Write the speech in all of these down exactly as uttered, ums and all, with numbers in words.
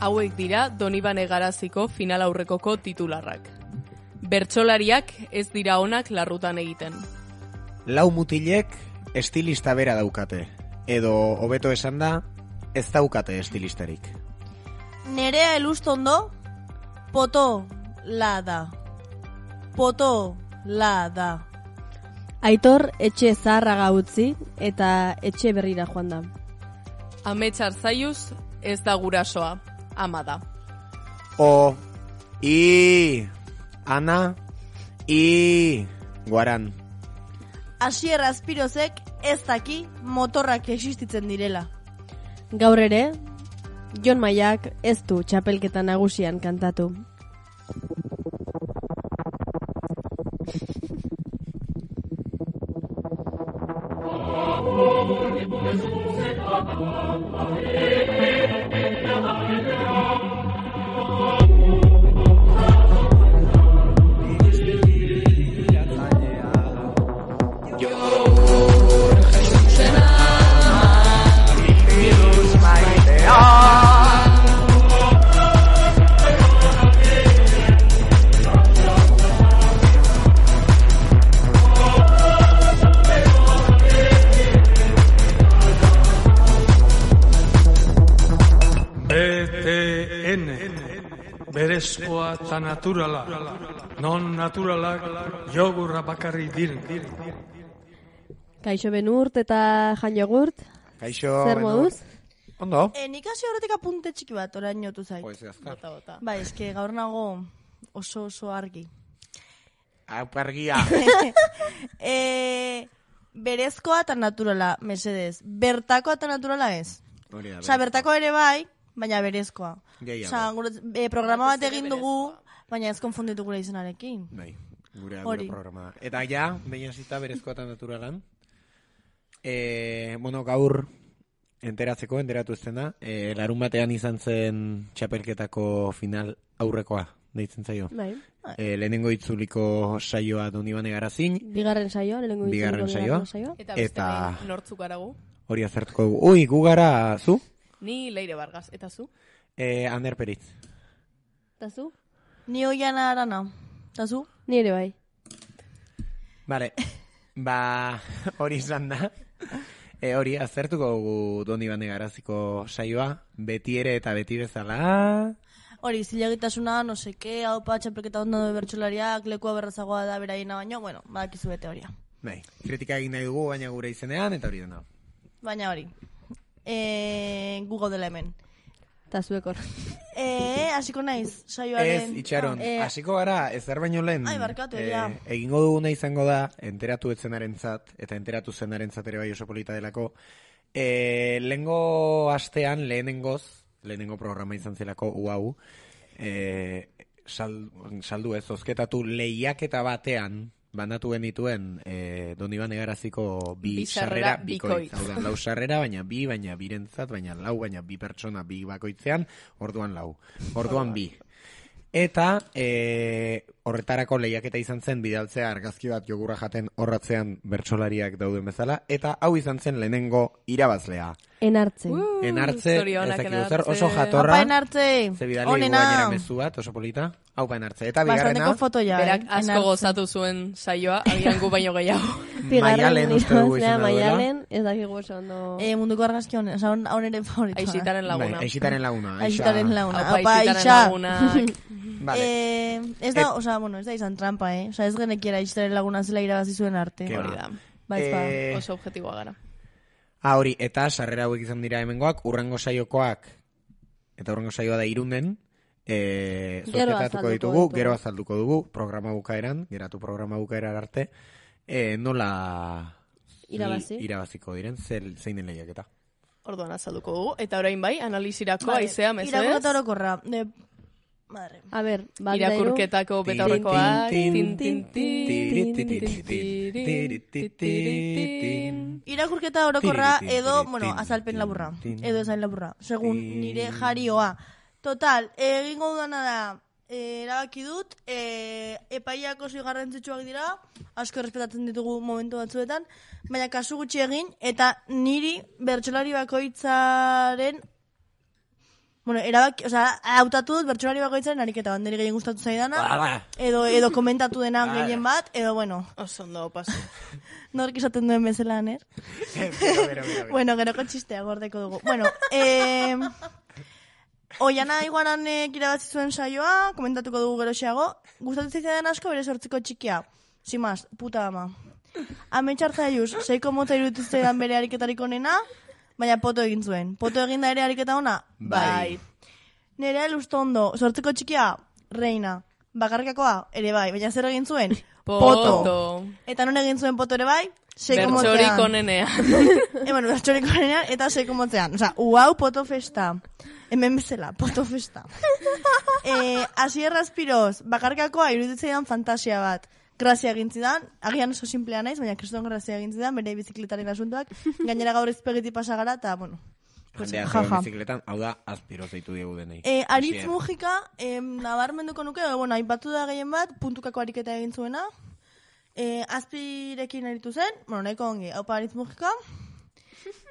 Hauek dira Donibane Garaziko final aurrekoko titularrak. Bertsolariak ez dira onak larrutan egiten. Lau mutilek estilista bera daukate, edo hobeto esan da, ez daukate estilistarik. Nerea Elustondo, poto la da. Poto la da. Aitor etxe zaharraga utzi eta etxe berrira joan da. Amets Arzaiuz ez da gurasoa, ama da. O, i, ana, i, guaran. Asier Azpirozek ez daki motorrak existitzen direla. Gaur ere, Jon Maiak ez du txapelketa nagusian kantatu. Berezkoa eta naturala, non naturalak jogurra bakarri diren. Kaixo Benurt eta Jan Jogurt, Kaixo zer moduz? Ondo? E, nik hasi horretik apunte txiki bat, orain jotu zait. Pues azkar. Bota, bota. Bai, eske gaur nago oso oso argi. Aupargia. e, berezkoa eta naturala, mesedez. Bertakoa eta naturala ez. Hori da, Osa, bertakoa ere bai, baina berezkoa. Gehiago. Osa, gure, e, programa bat egin dugu, baina ez konfunditu gure izenarekin. Bai, gure, Hori. gure programa. Eta ja, behin hasita berezkoa eta naturalan. E, bueno, gaur enteratzeko, enteratu ezten da, e, larun batean izan zen txapelketako final aurrekoa, deitzen zaio. Bai. E, lehenengo itzuliko saioa Donibane Garazin, Bigarren saioa, lehenengo Bigarren itzuliko saioa. Eta beste Eta- behin nortzuk aragu. hori azertuko dugu. Ui, gu gara, zu? Ni Leire Vargas, eta zu? E, Ander Peritz. Eta zu? Ni oiana arana. Eta zu? Ni ere bai. Vale, ba, hori izan da. E, hori, azertuko dugu Donibane Garaziko saioa, beti ere eta beti bezala. Hori, zilegitasuna, no seke, hau pa, txapelketa ondo bertsolariak, lekua berrazagoa da beraiena baino, bueno, badakizu bete horia. Bai, kritika egin nahi dugu, baina gure izenean, eta hori dena. Baina hori. E, gu gaudela hemen. Eta zuekor. E, hasiko naiz, Ez, saioaren... itxaron, Ah, hasiko gara, ezer baino lehen. Ai, barkatu, eh, ja. egingo duguna izango da, enteratu etzenarentzat, eta enteratu zenarentzat ere bai oso polita delako. E, lehengo astean, lehenengoz, lehenengo programa izan zelako, uau, e, sal, saldu ez, ozketatu lehiaketa batean, banatu genituen e, Donibane Garaziko bi Bi sarrera sarrera bikoitz. bikoitz. Hau da, lau sarrera, baina bi, baina birentzat, baina lau, baina bi pertsona bi bakoitzean, orduan lau. Orduan bi. Eta e, horretarako lehiaketa izan zen bidaltzea argazki bat jogurra jaten horratzean bertsolariak dauden bezala, eta hau izan zen lehenengo irabazlea. Enartze. Uh, Enartze, zorionak ez dakit zer, Enartze. oso jatorra. Apa enartze, Ze bidali dugu onena. gainera mezu bat, oso polita. Hau pa enartze. Eta bigarrena, Bastanteko fotoia, Berak eh? asko Enartze. gozatu zuen saioa, agian gu baino gehiago. Maialen uste dugu irabazlea, izan duela. Maialen, ez dakigu oso ondo... E, munduko argazki honen, oza, hon ere favoritoa. Aixitaren Bai, laguna. Aixitaren laguna. Aixa. Aixitaren laguna. Aupa, Apa, Aixitaren Aixa. lagunak. Vale. Eh, ez da, oza, bueno, ez da izan trampa, eh? Oza, ez genekiera Aixitaren laguna zela irabazi zuen arte. Ke Hori ba. da. Bai, ez ba. Eh, Oso objektiboa gara. Ah, hori, eta sarrera hauek izan dira hemengoak, urrengo saiokoak, eta urrengo saioa da Irunden, e, Gero zorketatuko azalduko ditugu, ditugu. gero azalduko dugu, programa bukaeran, geratu programa bukaeran arte, e, nola Irabazi. irabaziko diren, zel, zein den lehiaketa. Orduan azalduko dugu. Eta orain bai, analizirako Vale, aizea, mesedez. irakurketa orokorra. De... Madre. A ber, bat da hiru. Irakurketako betaurrekoak. Tin, Tin, tin, tin, tin, Irakurketa orokorra Tiri, tiri, edo, tiri, bueno, tiri, azalpen tiri, laburra. tiri. Edo ezain laburra. Segun Tiri. nire jarioa. Total, egingo dudana da, eh, erabaki dut, eh, epaiak oso garrantzitsuak dira, asko errespetatzen ditugu momentu batzuetan, baina kasu gutxi egin, eta niri bertsolari bakoitzaren Bueno, erabaki, osea, hautatu dut bertsolari bakoitzaren ariketa bat, niri gehien gustatu zaidana, edo, edo komentatu dena gehien bat, edo bueno. Oso ondo, paso. Nork izaten duen bezala, ner? Bueno, geroko txistea gordeko dugu. Bueno, eh... Oiana Iguananek irabazi zuen saioa, komentatuko dugu geroxeago. Gustatu zitzaidan asko bere sortziko txikia. Simaz, puta ama. Ametxartza juz, seiko motza iruditu zitzaidan bere ariketarik onena, baina poto egin zuen. Poto egin da ere ariketa ona? Bai. Nerea Lustondo, sortziko txikia, reina. Bakarkakoa, ere bai, baina zer egin zuen? Poto. Eta non egin zuen poto ere bai? Seiko Bertxorik motzean. onenean. E, bueno, bertxorik onenean eta seiko motzean. Osa, uau, poto festa. Hemen bezala, poto festa. eh, Asier Aspiroz, bakarkakoa iruditzeidan fantasia bat. Grazia egintzidan, agian oso simplea naiz, baina kriston grazia egintzidan, bere bizikletaren asuntoak. Gainera gaur izpegiti pasagara, eta, bueno, pues, Jendea jaja. zeo bizikletan, hau da, Aspiroz deitu diegu denei. Eh, Aritz Asier. Mujika, eh, nabarmenduko nuke, eh, bueno, aipatu da gehien bat, puntukako ariketa egin zuena. Eh, Azpirekin aritu zen, bueno, nahiko ongi, haupa Aritz Mujika.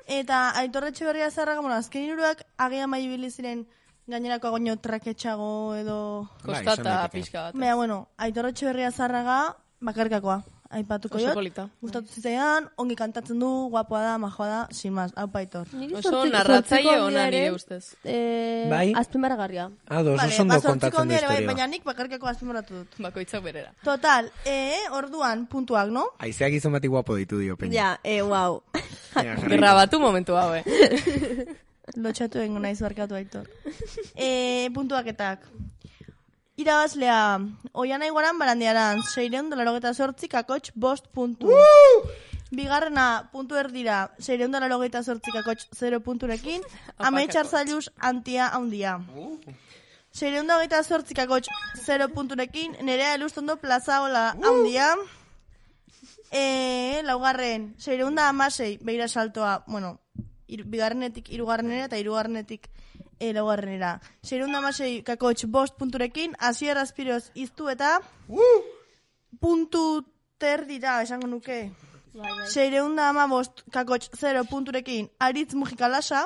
Eta Aitor Etxeberria Zarraga, bueno, azken hirurak agian bai ibili ziren gainerako agoño traketxago edo... Kostata pixka bat. Baina, bueno, Aitor Etxeberria Zarraga bakarkakoa. Aipatuko Oso jot. polita. Gustatu zitzaidan, ongi kantatzen du, guapoa da, majoa da, sin más, hau Aitor. Niri Oso sortzi- narratzaile sortziko ona handia nire ere, ustez. Eh, Bai? azpimarragarria. Ah, dos, Vale, oso ondo ba, sortziko kontatzen du handia ere bai, historia. baina nik bakarkako azpimarratu dut. Bakoitzak berera. Total, eh, orduan, puntuak, no? Aizeak gizon bati guapo ditu dio, peña. Ja, eh, wow. Venga, jarraitu. Grabatu momentu hau, eh? Lotxatu egingo naiz barkatu Aitor. eh, puntuaketak. Irabazlea, Oiana Iguaran Barandiaran, seireun dola logeta sortzi, kakotx bost puntu. Bigarrena, puntu erdira, seireun dola logeta sortzi, kakotx zero punturekin, Ametxar Zailuz antia haundia. Seireun dola logeta sortzi, kakotx zero punturekin, Nerea Elustondo plazaola haundia. E, laugarren, seireun da amasei, beira saltoa, bueno, ir, bigarrenetik irugarrenera eta irugarrenetik e, laugarrenera. Seireun da amasei, kakotx bost punturekin, Asier Aspiroz iztu eta puntu terdira, esango nuke. Seireun da ama bost, kakotx zero punturekin, Aritz Mujika Lasa,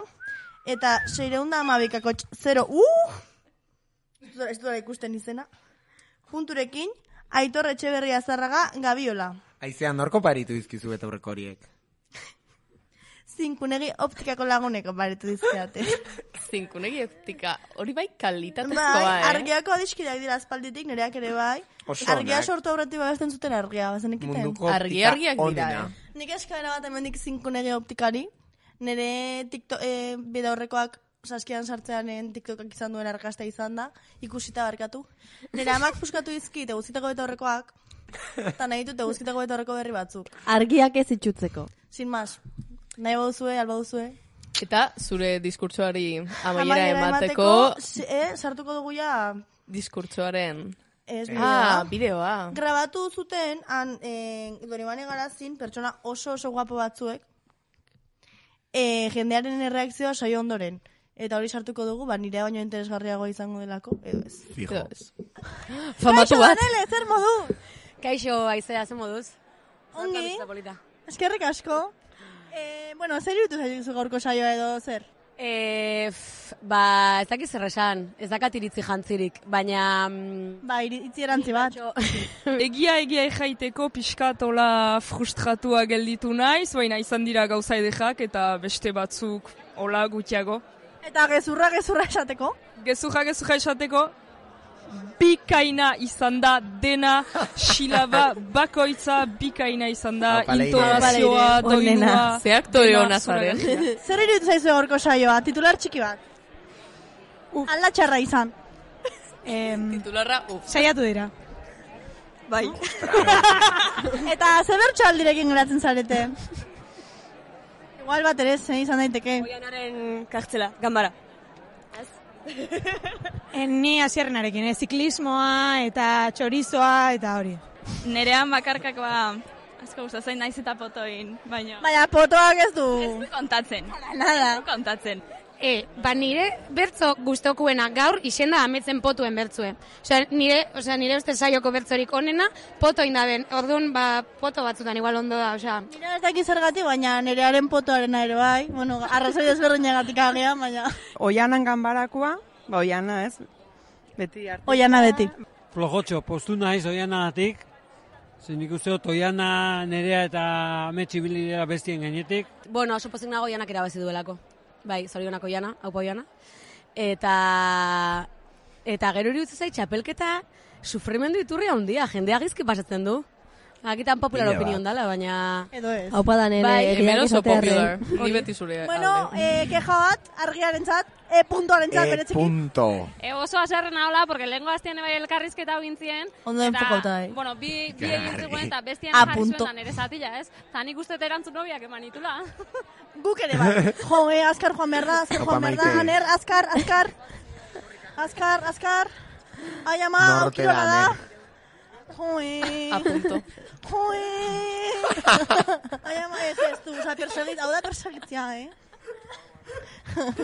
eta seireun da amabi, kakotx zero, uh! Ez dut ikusten izena. Punturekin, Aitor Etxeberria Zarraga Gabiola. Aizea, norko paritu dizkizu eta aurreko horiek? Zinkunegi optikako laguneko paritu dizkiate. Zinkunegi optika, hori bai kalitatezkoa, Bai, eh? argiako adiskideak dira aspalditik, nereak ere bai. Oso Argia onak. sortu aurretik babesten zuten argia, bazenekiten. Munduko Argi optika argiak dira, onena. eh? Nik eskaera bat hemendik zinkunegi optikari, nire TikTok, eh, bide horrekoak saskian sartzeanen TikTokak izan duen argazta izan da, ikusita barkatu. Nire amak puskatu dizkit eguzkitako bete horrekoak, eta nahi dut eguzkitako bete horreko berri batzuk. Argiak ez itxutzeko. Sin más, nahi baduzue, alba duzue. Eta zure diskurtsoari amaiera emateko se- eh, sartuko dugu ja, diskurtsoaren... ez Ah, bideoa. bideoa. Grabatu zuten, han, eh, Donibane Garazin, pertsona oso oso guapo batzuek, eh, jendearen erreakzioa saio ondoren. Eta hori sartuko dugu, ba, nire baino interesgarriago izango delako, edo ez. Fijo. Edo ez. Famatu Kaixo, bat. Danele, zer modu? Kaixo, Aizea, ze moduz? Ongi, Polita, polita. eskerrik asko. Eh, bueno, zer irutu zaizu gaurko saioa edo zer? E, f, ba, ez dakiz zer esan, ez dakat iritzi jantzirik, baina... mm, Ba, iri- itzi erantzi bat. Egia egia jaiteko pixkatola frustratua gelditu naiz, baina izan dira gauza edekak eta beste batzuk hola gutiago. Eta gezurra, gezurra esateko. Gezurra gezurra esateko, bikaina izan da dena, silaba bakoitza bikaina izan da, Aupa, Leire. intonazioa, Aupa, Leire, onena. doinua. Ze aktore dena ona zaren. zoragarria. Zer irutu zaizu gaurko saioa? Titular txiki bat. Alda txarra izan. Titularra, uf. Saiatu dira. Bai. Eta zer bertso aldirekin geratzen zarete? Igual bat ere, zein izan daiteke. Oianaren kartzela, gambara. En, ni hasierrenarekin, eh? Ziklismoa eta txorizoa eta hori. Nerean bakarkakoa asko gustatzen naiz eta potoin, baina Baina potoak ez du. ez du kontatzen. Nada. Ez du kontatzen. E, ba nire bertzo gustokuena gaur isenda ametzen potuen bertzue. Osea, nire, osea, nire uste saioko bertzorik onena poto indaben. Orduan, ba, poto batzutan igual ondo da, osea. Nire ez dakit zergatik, baina nirearen potoarena ere bai. Bueno, arrazoi ezberdinagatik agian, baina... Oianan ganbarakoa, ba, oiana ez, beti arte. Oiana beti. Flojotxo, postu naiz oianagatik. Zer nik uste dut oiana nerea eta ametsi bilidea bestien gainetik. Bueno, oso pozik nago Oianak erabazi duelako. Bai, zorionako Oiana, haupa Oiana. Eta, eta gero iruditzen zait, txapelketa sufrimendu iturria handia, jendea gizki pasatzen du. Akitan popular opinion dala, baina... Edo ez. Haupa da nire Bai, eriak hemen oso izatearren. popular. Ni beti zure Bueno, alde. eh, keja bat, argiaren zat, e puntuaren zat, E beretzeki. punto. E, oso aserrena hola, porque lehenko aztien bai elkarrizketa hau gintzien. Ondo enfokauta bai. Bueno, bi, bi egin zegoen eta bestien A jarri punto. zuen da nire zatila, ez? Eta nik uste erantzun nobiak eman itula. Guk ere bai. Jo, eh, azkar joan behar da, azkar Opa, joan behar da, Maite. Aner, azkar, azkar. Azkar, azkar. Ai, ama, Norte aukirola da, da. Aner. Jo, eh. A punto. Jo, eh. Ai, ama, ez ez du, oza, persegit, hau da persegitzia, eh.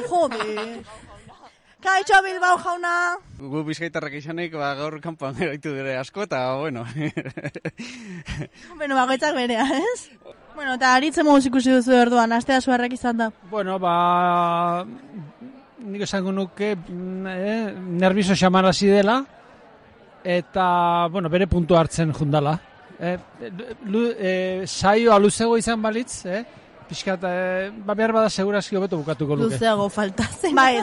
Jode. Kaixo Bilbao jauna. Gu bizkaitarrak izanik, ba, gaur kanpoan eroitu dire asko, eta, bueno. Bueno, bagoitzak berea, ez? Bueno, eta aritzen moduz ikusi duzu orduan, astea suarrak izan da. Bueno, ba... Nik esango nuke, mm, eh, nervioso xamarazi dela, eta, bueno, bere puntu hartzen jundala. Eh, lu, eh, saioa luzego izan balitz, eh? Piskat, eh, ba behar bada segurazki hobeto bukatuko luke. Luzeago falta zen. Bai,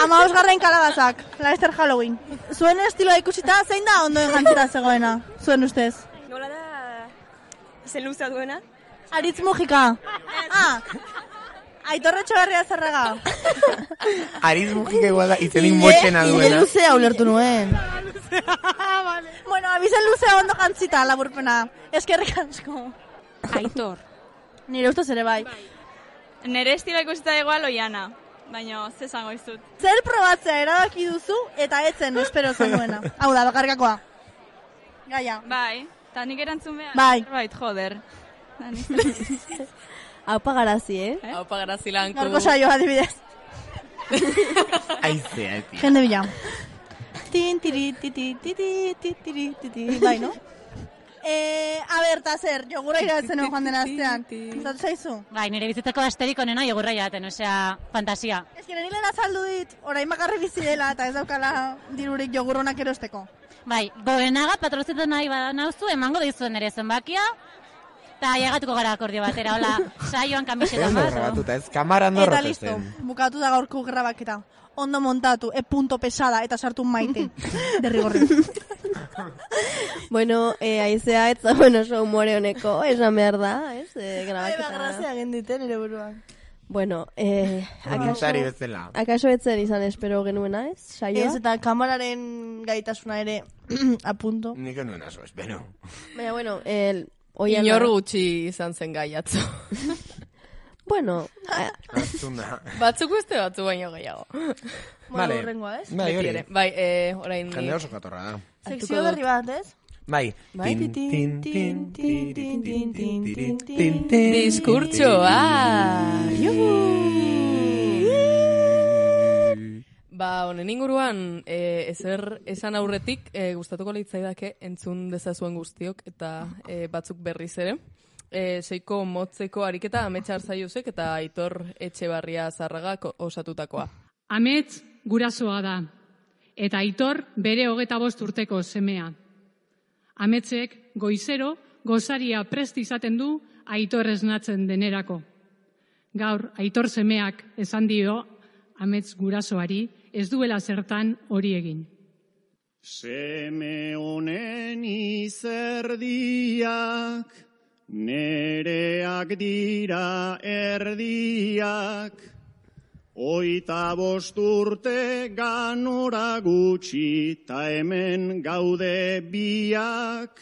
ama osgarren kalabazak, Leicester Halloween. Zuen estiloa ikusita, zein da ondoen jantzera zegoena, zuen ustez? Nola da, zen luzea duena? Aritz Mujika. Ah, Aitor Etxeberria Zerrega. Aritz Mujika igual da, izenik motxena duena. Ile luzea ulertu nuen. Bueno, abizen luzea ondo jantzita, laburpena. Eskerrik asko. Aitor. Nire ustez ere bai. Nire estilo ikusita igual Oiana, baina ze zango izut. Zer probatzea erabaki duzu eta etzen espero zenuena. Hau da, bakarkakoa. Gaia. Bai, eta nik erantzun behar. Bai. Bait, joder. Haupa garazi, eh? eh? Haupa garazi lanku. Gaurko saioa adibidez. Aizea, tia. Jende bila. Tin, tiri, titi, titi, titi, titi, bai, no? Eh, a ber, ta zer, jogurra iratzen joan den astean. Zatu zaizu? Bai, nire bizitzeko asterik onena jogurra jaten, osea, fantasia. Ez que nire lehen azaldu dit, orain bakarri bizi dela eta ez daukala dirurik jogurronak erosteko. Bai, goenaga patrozitzen nahi badanauzu, emango dizuen nire zenbakia, eta llegatuko gara akordio batera, hola, saioan kamiseta Ondo bat. grabatuta, ez kamaran Eta dorrotezen. listo, bukatu da gaurko grabaketa. Ondo montatu, e punto pesada eta sartu maite. Derrigorri. Bueno, eh, aizea ez bueno, oso humore honeko, esan behar da, ez? Eh, Ai, grabaketa. bagrazia egin dite nire buruan. Bueno, eh, akaso, Voluntari bezala. akaso etzen izan espero genuena, ez? Saioa? Ez, eta kamararen gaitasuna ere apunto. Nik nuen aso, espero. Baina, bueno, el... Oiana... Inor gutxi izan zen gai atzo. Bueno, Aztuna. Batzuk beste batzu baino gehiago. Vale. Horrengoa, ez? Bai, hori. Bai, eh, orain... Jende oso katorra da. Sekzio berri bat, ez? Bai. Bai. Tin, tin, tin, tin, tin, tin, tin, tin, tin, Diskurtsoa! Ba, honen inguruan, e, ezer esan aurretik, e, gustatuko leitzaidake entzun dezazuen guztiok, eta e, batzuk berriz ere. E, seiko motzeko ariketa Ametsa Arzaiusek eta Aitor Etxebarria Zarragak osatutakoa. Amets gurasoa da, eta Aitor bere hogeta bost urteko semea. Ametsek goizero gozaria prest izaten du Aitor esnatzen denerako. Gaur, Aitor semeak esan dio Amets gurasoari ez duela zertan hori egin. Seme honen izerdiak, nereak dira erdiak, oita bost urte ganora gutxi, ta hemen gaude biak,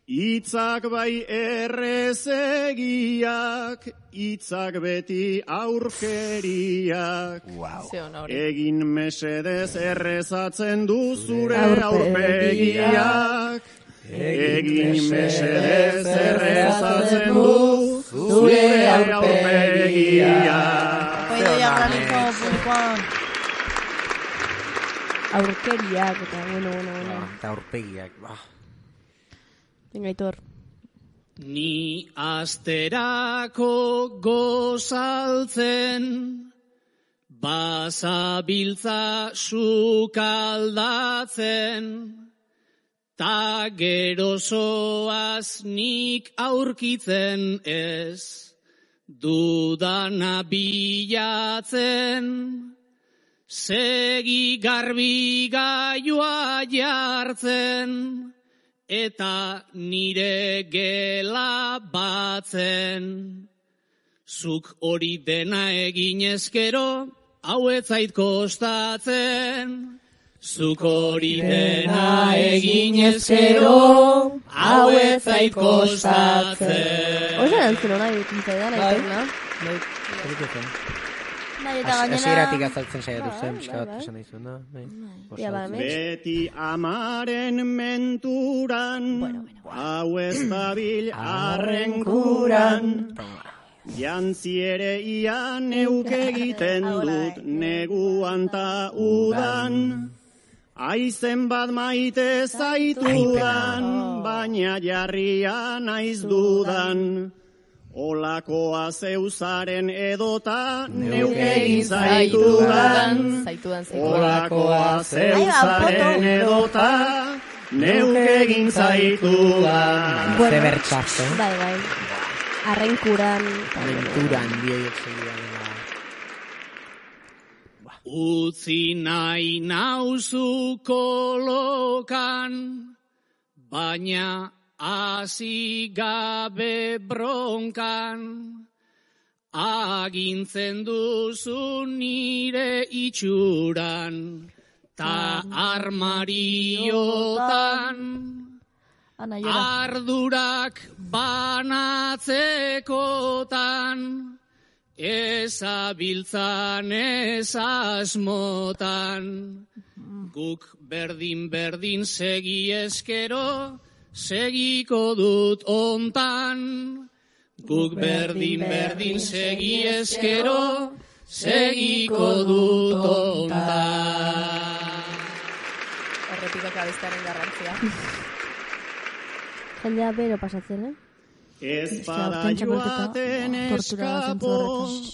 itzak bai errezegiak, itzak beti aurkeriak. Wow. Egin mesedez errezatzen du zure aurpegiak. Egin mesedez errezatzen du zure aurpegiak. Oidoia graniko Juan. Aurkeriak, eta bueno, bueno, bueno. Eta aurpegiak, ba. Venga, Aitor. Ni asterako gozaltzen, bazabiltza sukaldatzen, ta gerozoaz nik aurkitzen ez, dudana bilatzen, segi garbi gaioa jartzen, eta nire gela batzen. Zuk hori dena egin ezkero, hau ez zait kostatzen. Zuk hori dena egin ezkero, hau ez zait kostatzen. Oso erantzun hona egiten zaidan, Aitorna. Bai, eta gainera... Hasieratik azaltzen saiatu zen, pixka bat esan nahi zuena. Beti amaren menturan, hau ez dabil arrenkuran. Jantzi ere ia neuk egiten dut neguan ta udan. Aizen bat maite zaitudan, baina jarria naiz dudan. Olakoa zeuzaren edota neuk egin zaitudan. Olakoa zeuzaren edota neuk egin zaitudan. Ze bertxazo. Bai, bai. Arrenkuran. Arrenkuran, bioiek segidan. Utzi nahi nauzu kolokan, baina hasi gabe bronkan, agintzen duzu nire itxuran, ta armariotan, ardurak banatzekotan, ezabiltzan ez asmotan, guk berdin-berdin segi eskero, segiko dut ontan, guk berdin-berdin segi eskero, segiko dut ontan. Horretik abestaren garrantzia. Jendea bero pasatzen, eh? Ez bada joaten eskapo,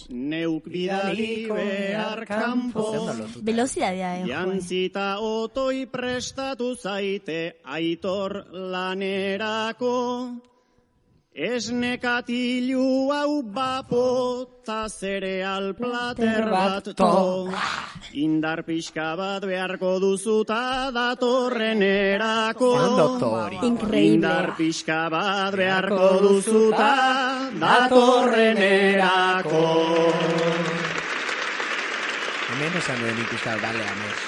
neuk bidali behar kanpo. Velozidadea, eh, Jantzita otoi prestatu zaite Aitor lanerako. Esnekatilu hau bapo, ta zereal plater bat to. Indar pixka bat beharko duzuta datorrenerako. Indar pixka bat beharko duzuta datorrenerako. Hemen esan duen ikusta, dale, amez.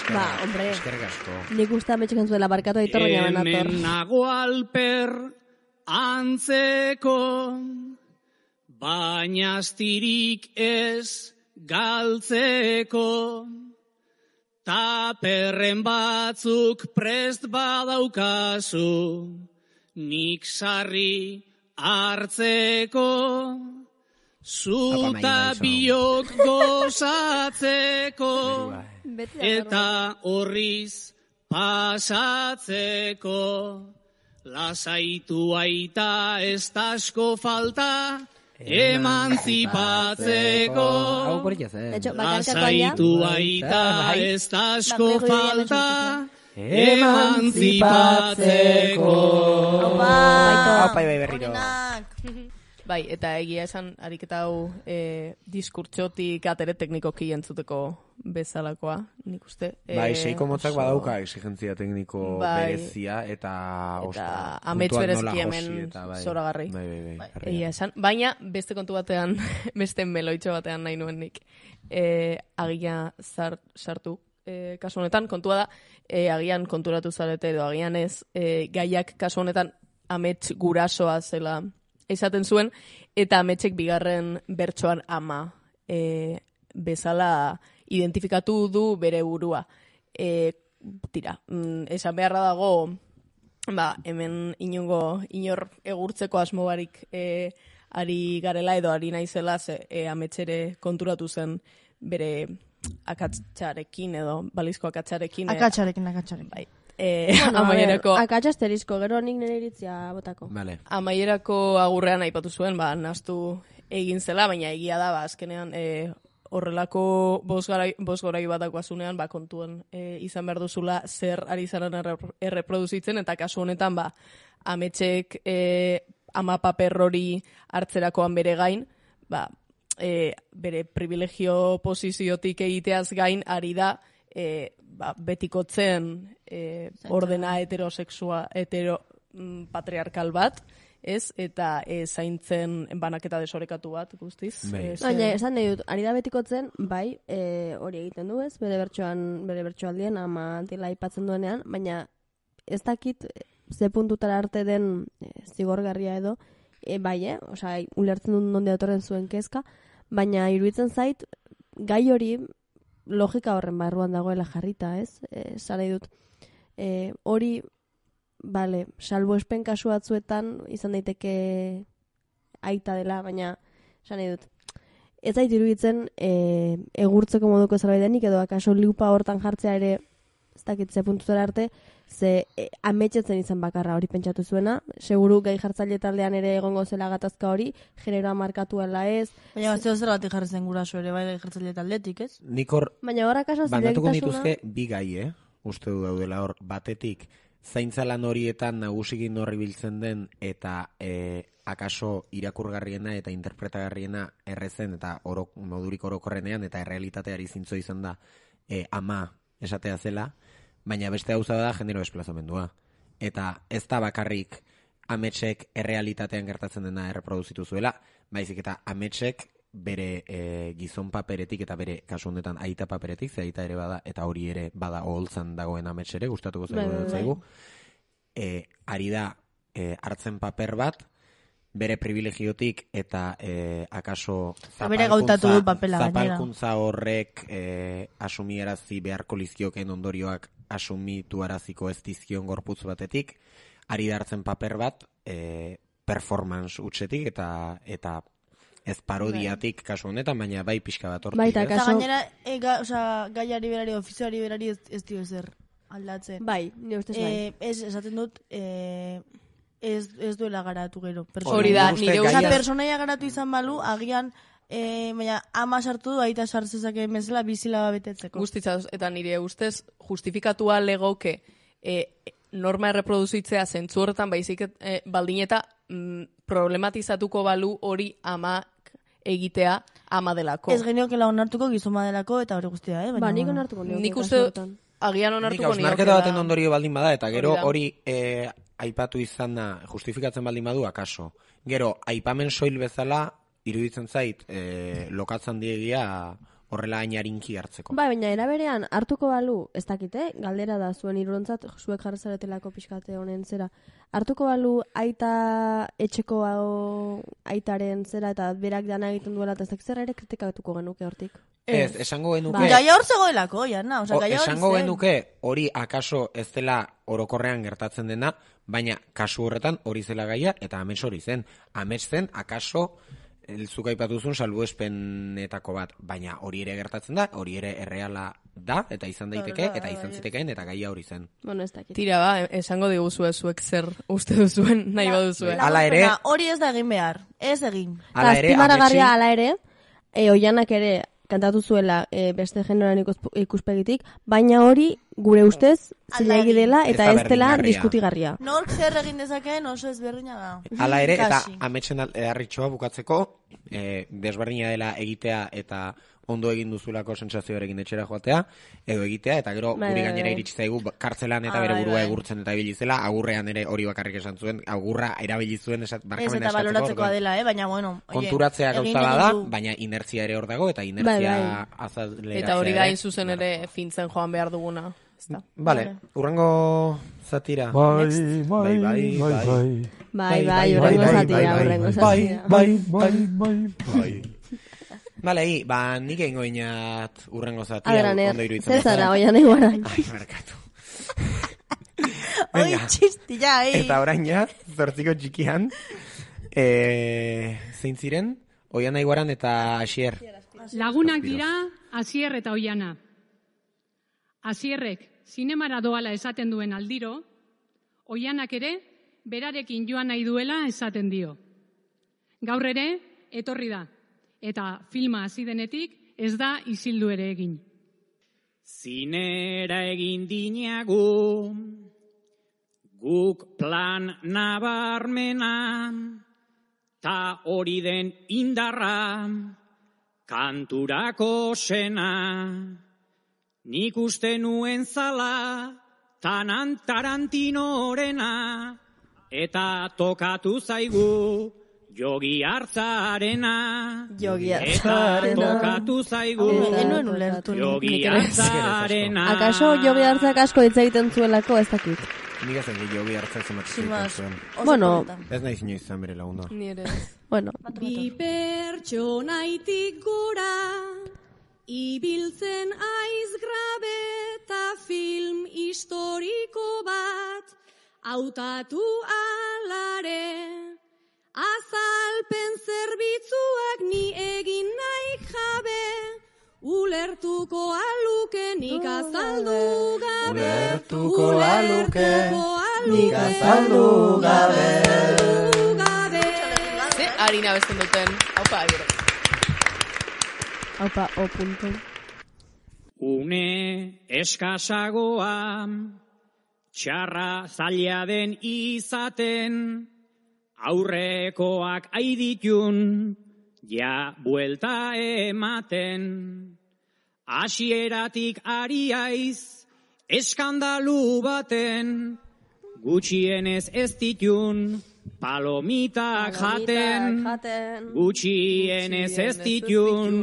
Ba, hombre. Eskerrik asko. Nik usta metxekan zuela barkatu Aitor baina banator. Hemen nago alper antzeko, baina astirik ez galtzeko, taperren batzuk prest badaukazu, nik sarri hartzeko, zuta biok gozatzeko, eta horriz pasatzeko. Lasaitu aita ez tasko falta, emantzipatzeko. Lasaitu aita ez tasko falta, emantzipatzeko. Aupa, bai berriro. Bai, eta egia esan, ariketa hau e, diskurtsotik atere teknikoki entzuteko bezalakoa, nik uste. E, bai, seiko motzak badauka exigentzia tekniko bai, berezia, eta... Eta amets berezki hemen bai, zoragarri. Bai, bai, bai. bai egia esan, baina beste kontu batean, beste meloitxo batean nahi nuen nik, e, agia zart, sartu. E, kasu honetan, kontua da, e, agian konturatu zarete edo agian ez, e, gaiak kasu honetan amets gurasoa zela esaten zuen, eta ametsek bigarren bertsoan ama e, bezala identifikatu du bere burua. E, tira, mm, esan beharra dago, ba, hemen inongo inor egurtzeko asmo barik e, ari garela edo ari naizela ze, e, ametsere konturatu zen bere akatsarekin edo balizko akatsarekin. Akatsarekin, akatsarekin. Bai. E, bueno, amaierako... Akatsa asterizko, gero nik nire iritzia botako. Vale. Amaierako agurrean aipatu zuen, ba, nastu egin zela, baina egia da, ba, azkenean e, horrelako bosgorai bat dakoazunean, ba, kontuen e, izan behar duzula zer ari zaren erre, erreproduzitzen, eta kasu honetan, ba, ametxek e, ama paper hori hartzerakoan bere gain, ba, e, bere privilegio posiziotik egiteaz gain, ari da, e, ba, betikotzen e, ordena heterosexua, hetero mm, patriarkal bat, ez, eta e, zaintzen banaketa desorekatu bat, guztiz. Baina, esan nahi dut, ari da betikotzen, bai, e, hori egiten du ez, bere bertsoan, bere bertsoaldien, ama dela aipatzen duenean, baina ez dakit ze puntutara arte den e, zigorgarria edo, e, bai, eh? Osa, ulertzen dut nonde datorren zuen kezka, baina iruditzen zait, gai hori logika horren barruan dagoela jarrita, ez? E, Zara dut, e, hori, bale, salbuespen kasu batzuetan izan daiteke aita dela, baina, esan nahi dut, ez zait iruditzen e, egurtzeko moduko zerbait denik, edo akaso liupa hortan jartzea ere, ez dakit ze puntutara arte, ze e, ametxetzen izan bakarra hori pentsatu zuena, seguru gai jartzaile taldean ere egongo zela gatazka hori, generoa markatuela ez. Baina bat zeo zer batik jarri zen guraso ere bai gai jartzaile taldetik, ez? Nik hor, baina hor akaso bandatuko nituzke bi gai, eh? Uste du daudela hor, batetik, zaintzalan horietan nagusikin horri biltzen den, eta e, akaso irakurgarriena eta interpretagarriena errezen, eta oro, modurik orokorrenean, eta errealitateari zintzo izan da e, ama esatea zela, baina beste gauza da genero desplazamendua. Eta ez da bakarrik ametsek errealitatean gertatzen dena erreproduzitu zuela, baizik eta ametsek bere e, gizon paperetik eta bere kasu honetan aita paperetik, ze aita ere bada, eta hori ere bada oholtzan dagoen amets ere, gustatuko zaigu dut zaigu, e, ari da e, hartzen paper bat, bere privilegiotik eta e, akaso zapalkuntza, zapalkuntza horrek e, asumiarazi beharko lizkioken ondorioak asumituaraziko ez dizkion gorputz batetik, ari da hartzen paper bat e, performance utxetik eta eta ez parodiatik kasu honetan, baina bai pixka bat hortik. Baita, kaso... gainera, e, ga, oza, gaiari berari, ofizioari berari ez, ez dio ezer aldatzen. Bai, nire ustez bai. E, ez, esaten dut, e, ez, ez duela garatu gero. Hori da, nire ustez. Oza, personaia garatu izan balu, agian, e, baina ama sartu du, aita sartzezak emezela bizila betetzeko. Guztitzaz, eta nire ustez, justifikatua legoke e, norma erreproduzitzea zentzu horretan, baizik e, baldin eta mm, problematizatuko balu hori ama egitea ama delako. Ez geniokela onartuko gizoma delako eta hori guztia, eh? Ba, nik onartuko nioke. Nik uste agian onartuko nioke. Nik hausnarketa baten ondorio baldin bada, eta gero hori eh, aipatu izan da, justifikatzen baldin badu, akaso. Gero, aipamen soil bezala, iruditzen zait, eh, lokatzen diegia horrela ainarinki hartzeko. Ba, baina eraberean hartuko balu, ez dakite, galdera da zuen irurontzat, zuek jarri zaretelako pixkate honen zera, hartuko balu aita etxeko hau aitaren zera eta berak dana egiten duela, eta ez dakit zer ere kritikatuko genuke hortik. Ez, esango genuke... Ba. Gaia hor zegoelako, jana, oza, gaia hor zen. Esango genuke hori akaso ez dela orokorrean gertatzen dena, baina kasu horretan hori zela gaia, eta amets hori zen. Amets zen, akaso... Elzuk aipatuzun salbuespenetako bat, baina hori ere gertatzen da, hori ere erreala da, eta izan daiteke, eta izan zitekeen, eta gaia hori zen. Bueno, ez dakit. Tira ba, esango diguzue zuek zer uste duzuen nahi baduzue. Hala ere... Hori ez da egin behar, ez egin. Hala ere, aztimaragarria hala ere, e, oianak ere kantatu zuela e, beste generoan ikuspegitik, baina hori gure ustez zilegi dela eta ez dela diskutigarria. Nork zer egin dezakeen oso ezberdina da. Hala ere, eta ametsen harritxoa bukatzeko, e, desberdina dela egitea eta ondo egin duzulako sentsazioarekin etxera joatea, edo egitea, eta gero bai, guri bai, gainera bai. iritsi zaigu kartzelan eta Ah, bere bai, burua bai. egurtzen eta ibili zela, agurrean ere hori bakarrik esan zuen, agurra erabili zuen esat, Ez barkamena eta eskatzeko. baloratzekoa orduan, dela, eh? Baina, bueno... oie, konturatzea egin gauza bada, ditu. baina inertzia ere hor dago, eta inertzia Bai, bai. azaleratzea Eta hori ere. da zuzen ere fintzen joan behar duguna. Ezta? Vale, urrengo zatira. Bai, Next. bai, bai, bai. Bai, bai, urrengo zatia, urrengo zatia. Bai, bai, bai, bai. Vale, hi, ba, nik egingo inat urrengo zatia. Agraner, ondo iruditzen zer zara, bezala. oian eguaran. Ai, merkatu. Oi, txisti, ja, eh? Eta orain ja, zortziko txikian, e, zein ziren, Oian Aiguaran eta Asier. Lagunak dira Asier eta Oiana. Asierrek zinemara doala esaten duen aldiro, Oianak ere berarekin joan nahi duela esaten dio. Gaur ere etorri da, eta filma hasi denetik ez da isildu ere egin. Zinera egin dinagu, guk plan nabarmena, ta hori den indarra, kanturako sena. Nik uste nuen zala, tanan Tarantinorena, eta tokatu zaigu, Jogi Hartzarena. Jogi Eta Hartzarena. tokatu zaigu, Enuen ulertu. Jogi Hartzarena. Akaso Jogi Hartzak asko hitz egiten zuelako ez dakit. Nik ezen Jogi Hartzak zemat Sin más. zuen. Bueno. Ez nahi zinio izan bere lagunda. Ni ere. Bueno. Bi pertsonaitik gora, ibiltzen aiz grabe eta film historiko bat, hautatu alare, azalpen zerbitzuak ni egin nahi jabe, ulertuko aluke nik azaldu gabe, Ulertuko aluke nik azaldu gabe. Ze harina besten duten, haupa agero. Haupa, o punto. Une eskasagoa, txarra zaila den izaten, aurrekoak aiditun, ja buelta ematen. Hasieratik ari aiz, eskandalu baten, gutxienez ez ditun, palomitak jaten, gutxienez ez ditun,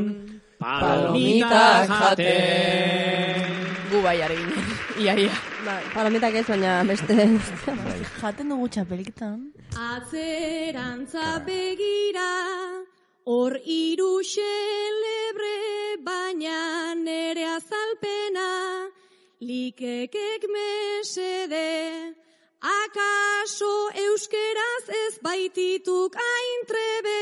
palomitak jaten. Gu bai ari ginen, ia, ia. Palomitak ez, baina beste... Jaten dugu txapeliketan. Atzerantza begira, hor hiru xelebre, baina nere azalpena, likekek mesede, akaso euskeraz ez baitituk aintrebe,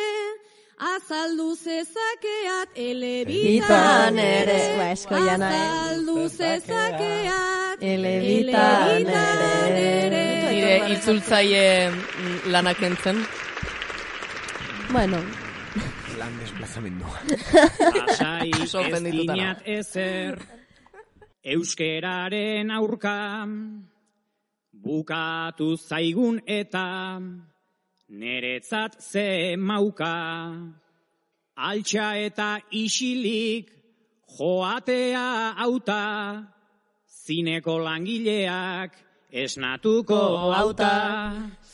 azaldu zezakeat elebitan ere, azaldu zezakeat elebitan ere. Nire itzultzaile lanak entzen. Bueno. Lan desplazamendua. Lasai ez Sorprendituta nago. dinat ezer, euskeraren aurka, bukatu zaigun eta neretzat ze mauka, altxa eta isilik joatea auta, zineko langileak esnatuko auta,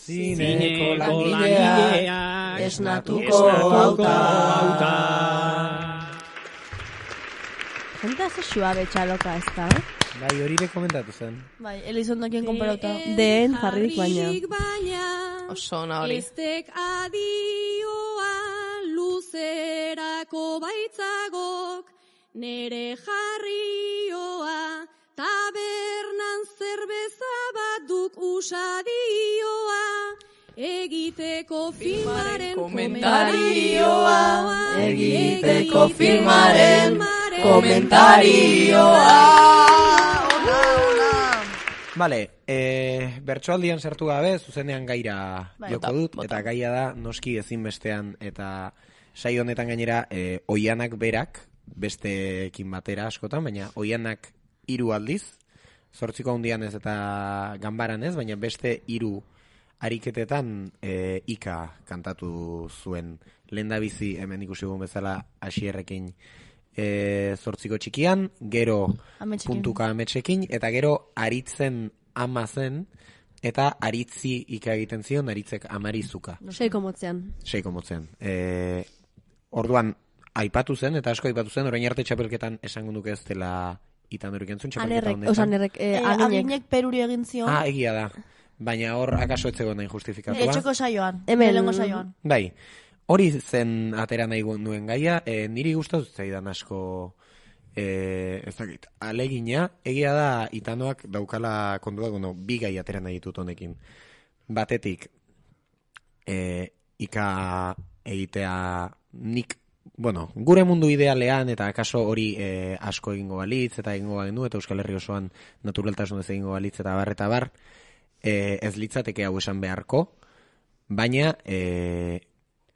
Zineko langileak esnatuko auta. Jenta ze suabe txaloka ez da, eh? Bai, hori be komentatu zen. Bai, Elizondokien konparauta. Den jarririk baina. Oso ona hori. Estek adioa luzerako baitzagok, nere jarrioa, tabernan zerbeza bat duk usadioa, egiteko filmaren komentarioa, egiteko filmaren komentarioa. Vale, eh, bertsoaldian sartu gabe, zuzenean gaira Bai. joko Bota, dut, bota. eta gaia da noski ezinbestean, eta saio honetan gainera, eh, Oianak berak, besteekin batera askotan, baina Oianak hiru aldiz, zortziko handian ez eta ganbaran ez, baina beste hiru ariketetan eh, Ika kantatu zuen. Lehendabizi hemen ikusi dugun bezala Asierrekin e, zortziko txikian, gero Ametsekin. puntuka ametsekin, eta gero aritzen ama zen, eta aritzi Ika egiten zion, aritzek amarizuka. Seiko motzean. Seiko motzean. E, orduan, aipatu zen, eta asko aipatu zen, orain arte txapelketan esango nuke ez dela Itandorik entzun txapelketa Anerrek, honetan. oza, anerrek, eh, Eh, aginek. Aginek peruri egin zion. Ah, egia da. Baina hor akaso etzegoen nahi justifikatua. Etxeko saioan. Hemen- Lehenengo saioan. Bai, hori zen atera nahi nuen gaia, e, niri gustatu zaidan asko, e, ez dakit, alegina, egia da Itanoak daukala kontua, bueno, bi gai atera nahi ditut honekin. Batetik, e, Ika egitea nik bueno, gure mundu idealean eta akaso hori e, asko egingo balitz eta egingo bagendu eta Euskal Herri osoan naturaltasunez egingo balitz eta bar eta bar, e, ez litzateke hau esan beharko, baina e,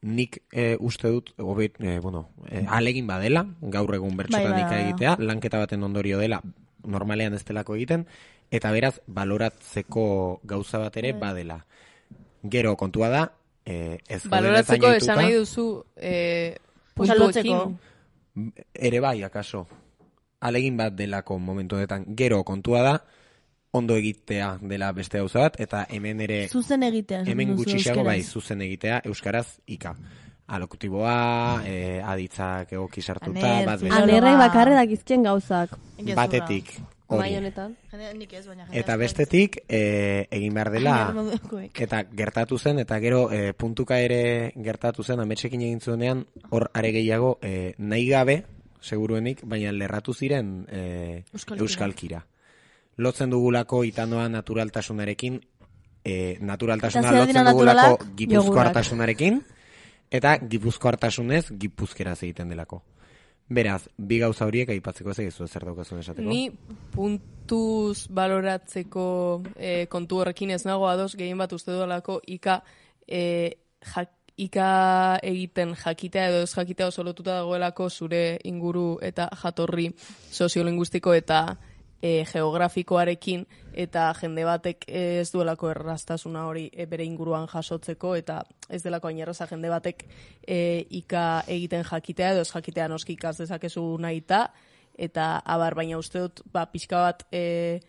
nik e, uste dut, obet, e, bueno, e, alegin badela, gaur egun bertsotan bai, ika bai. egitea, lanketa baten ondorio dela, normalean ez delako egiten, eta beraz, baloratzeko gauza bat ere badela. Gero, kontua da, e, ez baloratzeko esan nahi duzu e, puntuekin. Ere bai, akaso. Alegin bat delako momentu honetan. Gero, kontua da, ondo egitea dela beste gauza bat, eta hemen ere... Zuzen egitea. Hemen gutxiago bai, zuzen egitea, euskaraz ika. Alokutiboa, eh, aditzak egoki sartuta, bat bezala. Anerrek bakarre dakizkien gauzak. Batetik, Bai hori. honetan. Nik ez, baina Eta bestetik, eh, egin behar dela, eta gertatu zen, eta gero eh, puntuka ere gertatu zen, ametsekin egin zuenean, hor are gehiago, eh, nahi gabe, seguruenik, baina lerratu ziren eh, Euskalkira. euskalkira. Lotzen dugulako itanoa naturaltasunarekin, eh, naturaltasuna Eta zer dira lotzen dugulako naturalak? gipuzkoartasunarekin, eta gipuzkoartasunez gipuzkeraz egiten delako. Beraz, bi gauza horiek aipatzeko ez egizu zer daukazun esateko. Ni puntuz baloratzeko e, kontu horrekin ez nago ados, gehien bat uste duelako ika, e, jak, ika egiten jakitea edo ez jakitea oso lotuta dagoelako zure inguru eta jatorri soziolinguistiko eta e, geografikoarekin, eta jende batek ez duelako erraztasuna hori e, bere inguruan jasotzeko, eta ez delako hain erraza jende batek e, ika egiten jakitea edo ez jakitea noski ikaz dezakezu nahita, eta abar, baina uste dut ba, pixka bat e,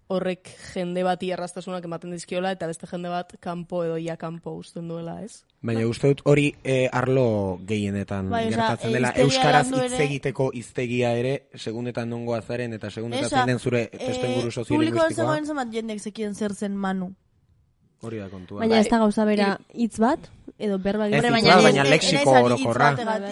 horrek jende bati erraztasunak ematen dizkiola, eta beste jende bat kanpo edo ia kanpo usten duela, ez? Baina uste dut hori e, arlo gehienetan Bai, oza, gertatzen dela. hiztegia Euskaraz landu hitz ere- egiteko hiztegia ere, segundetan nongo azaren eta segundetan Esa, zein den zure testu inguru Publikoan soziolinguistikoa. zegoen zenbat jendek zekien zer zen Manu. Hori da kontua. Baina ez da gauza bera hitz bat, edo berba Ez egiten. hitz bat, baina lexiko orokorra.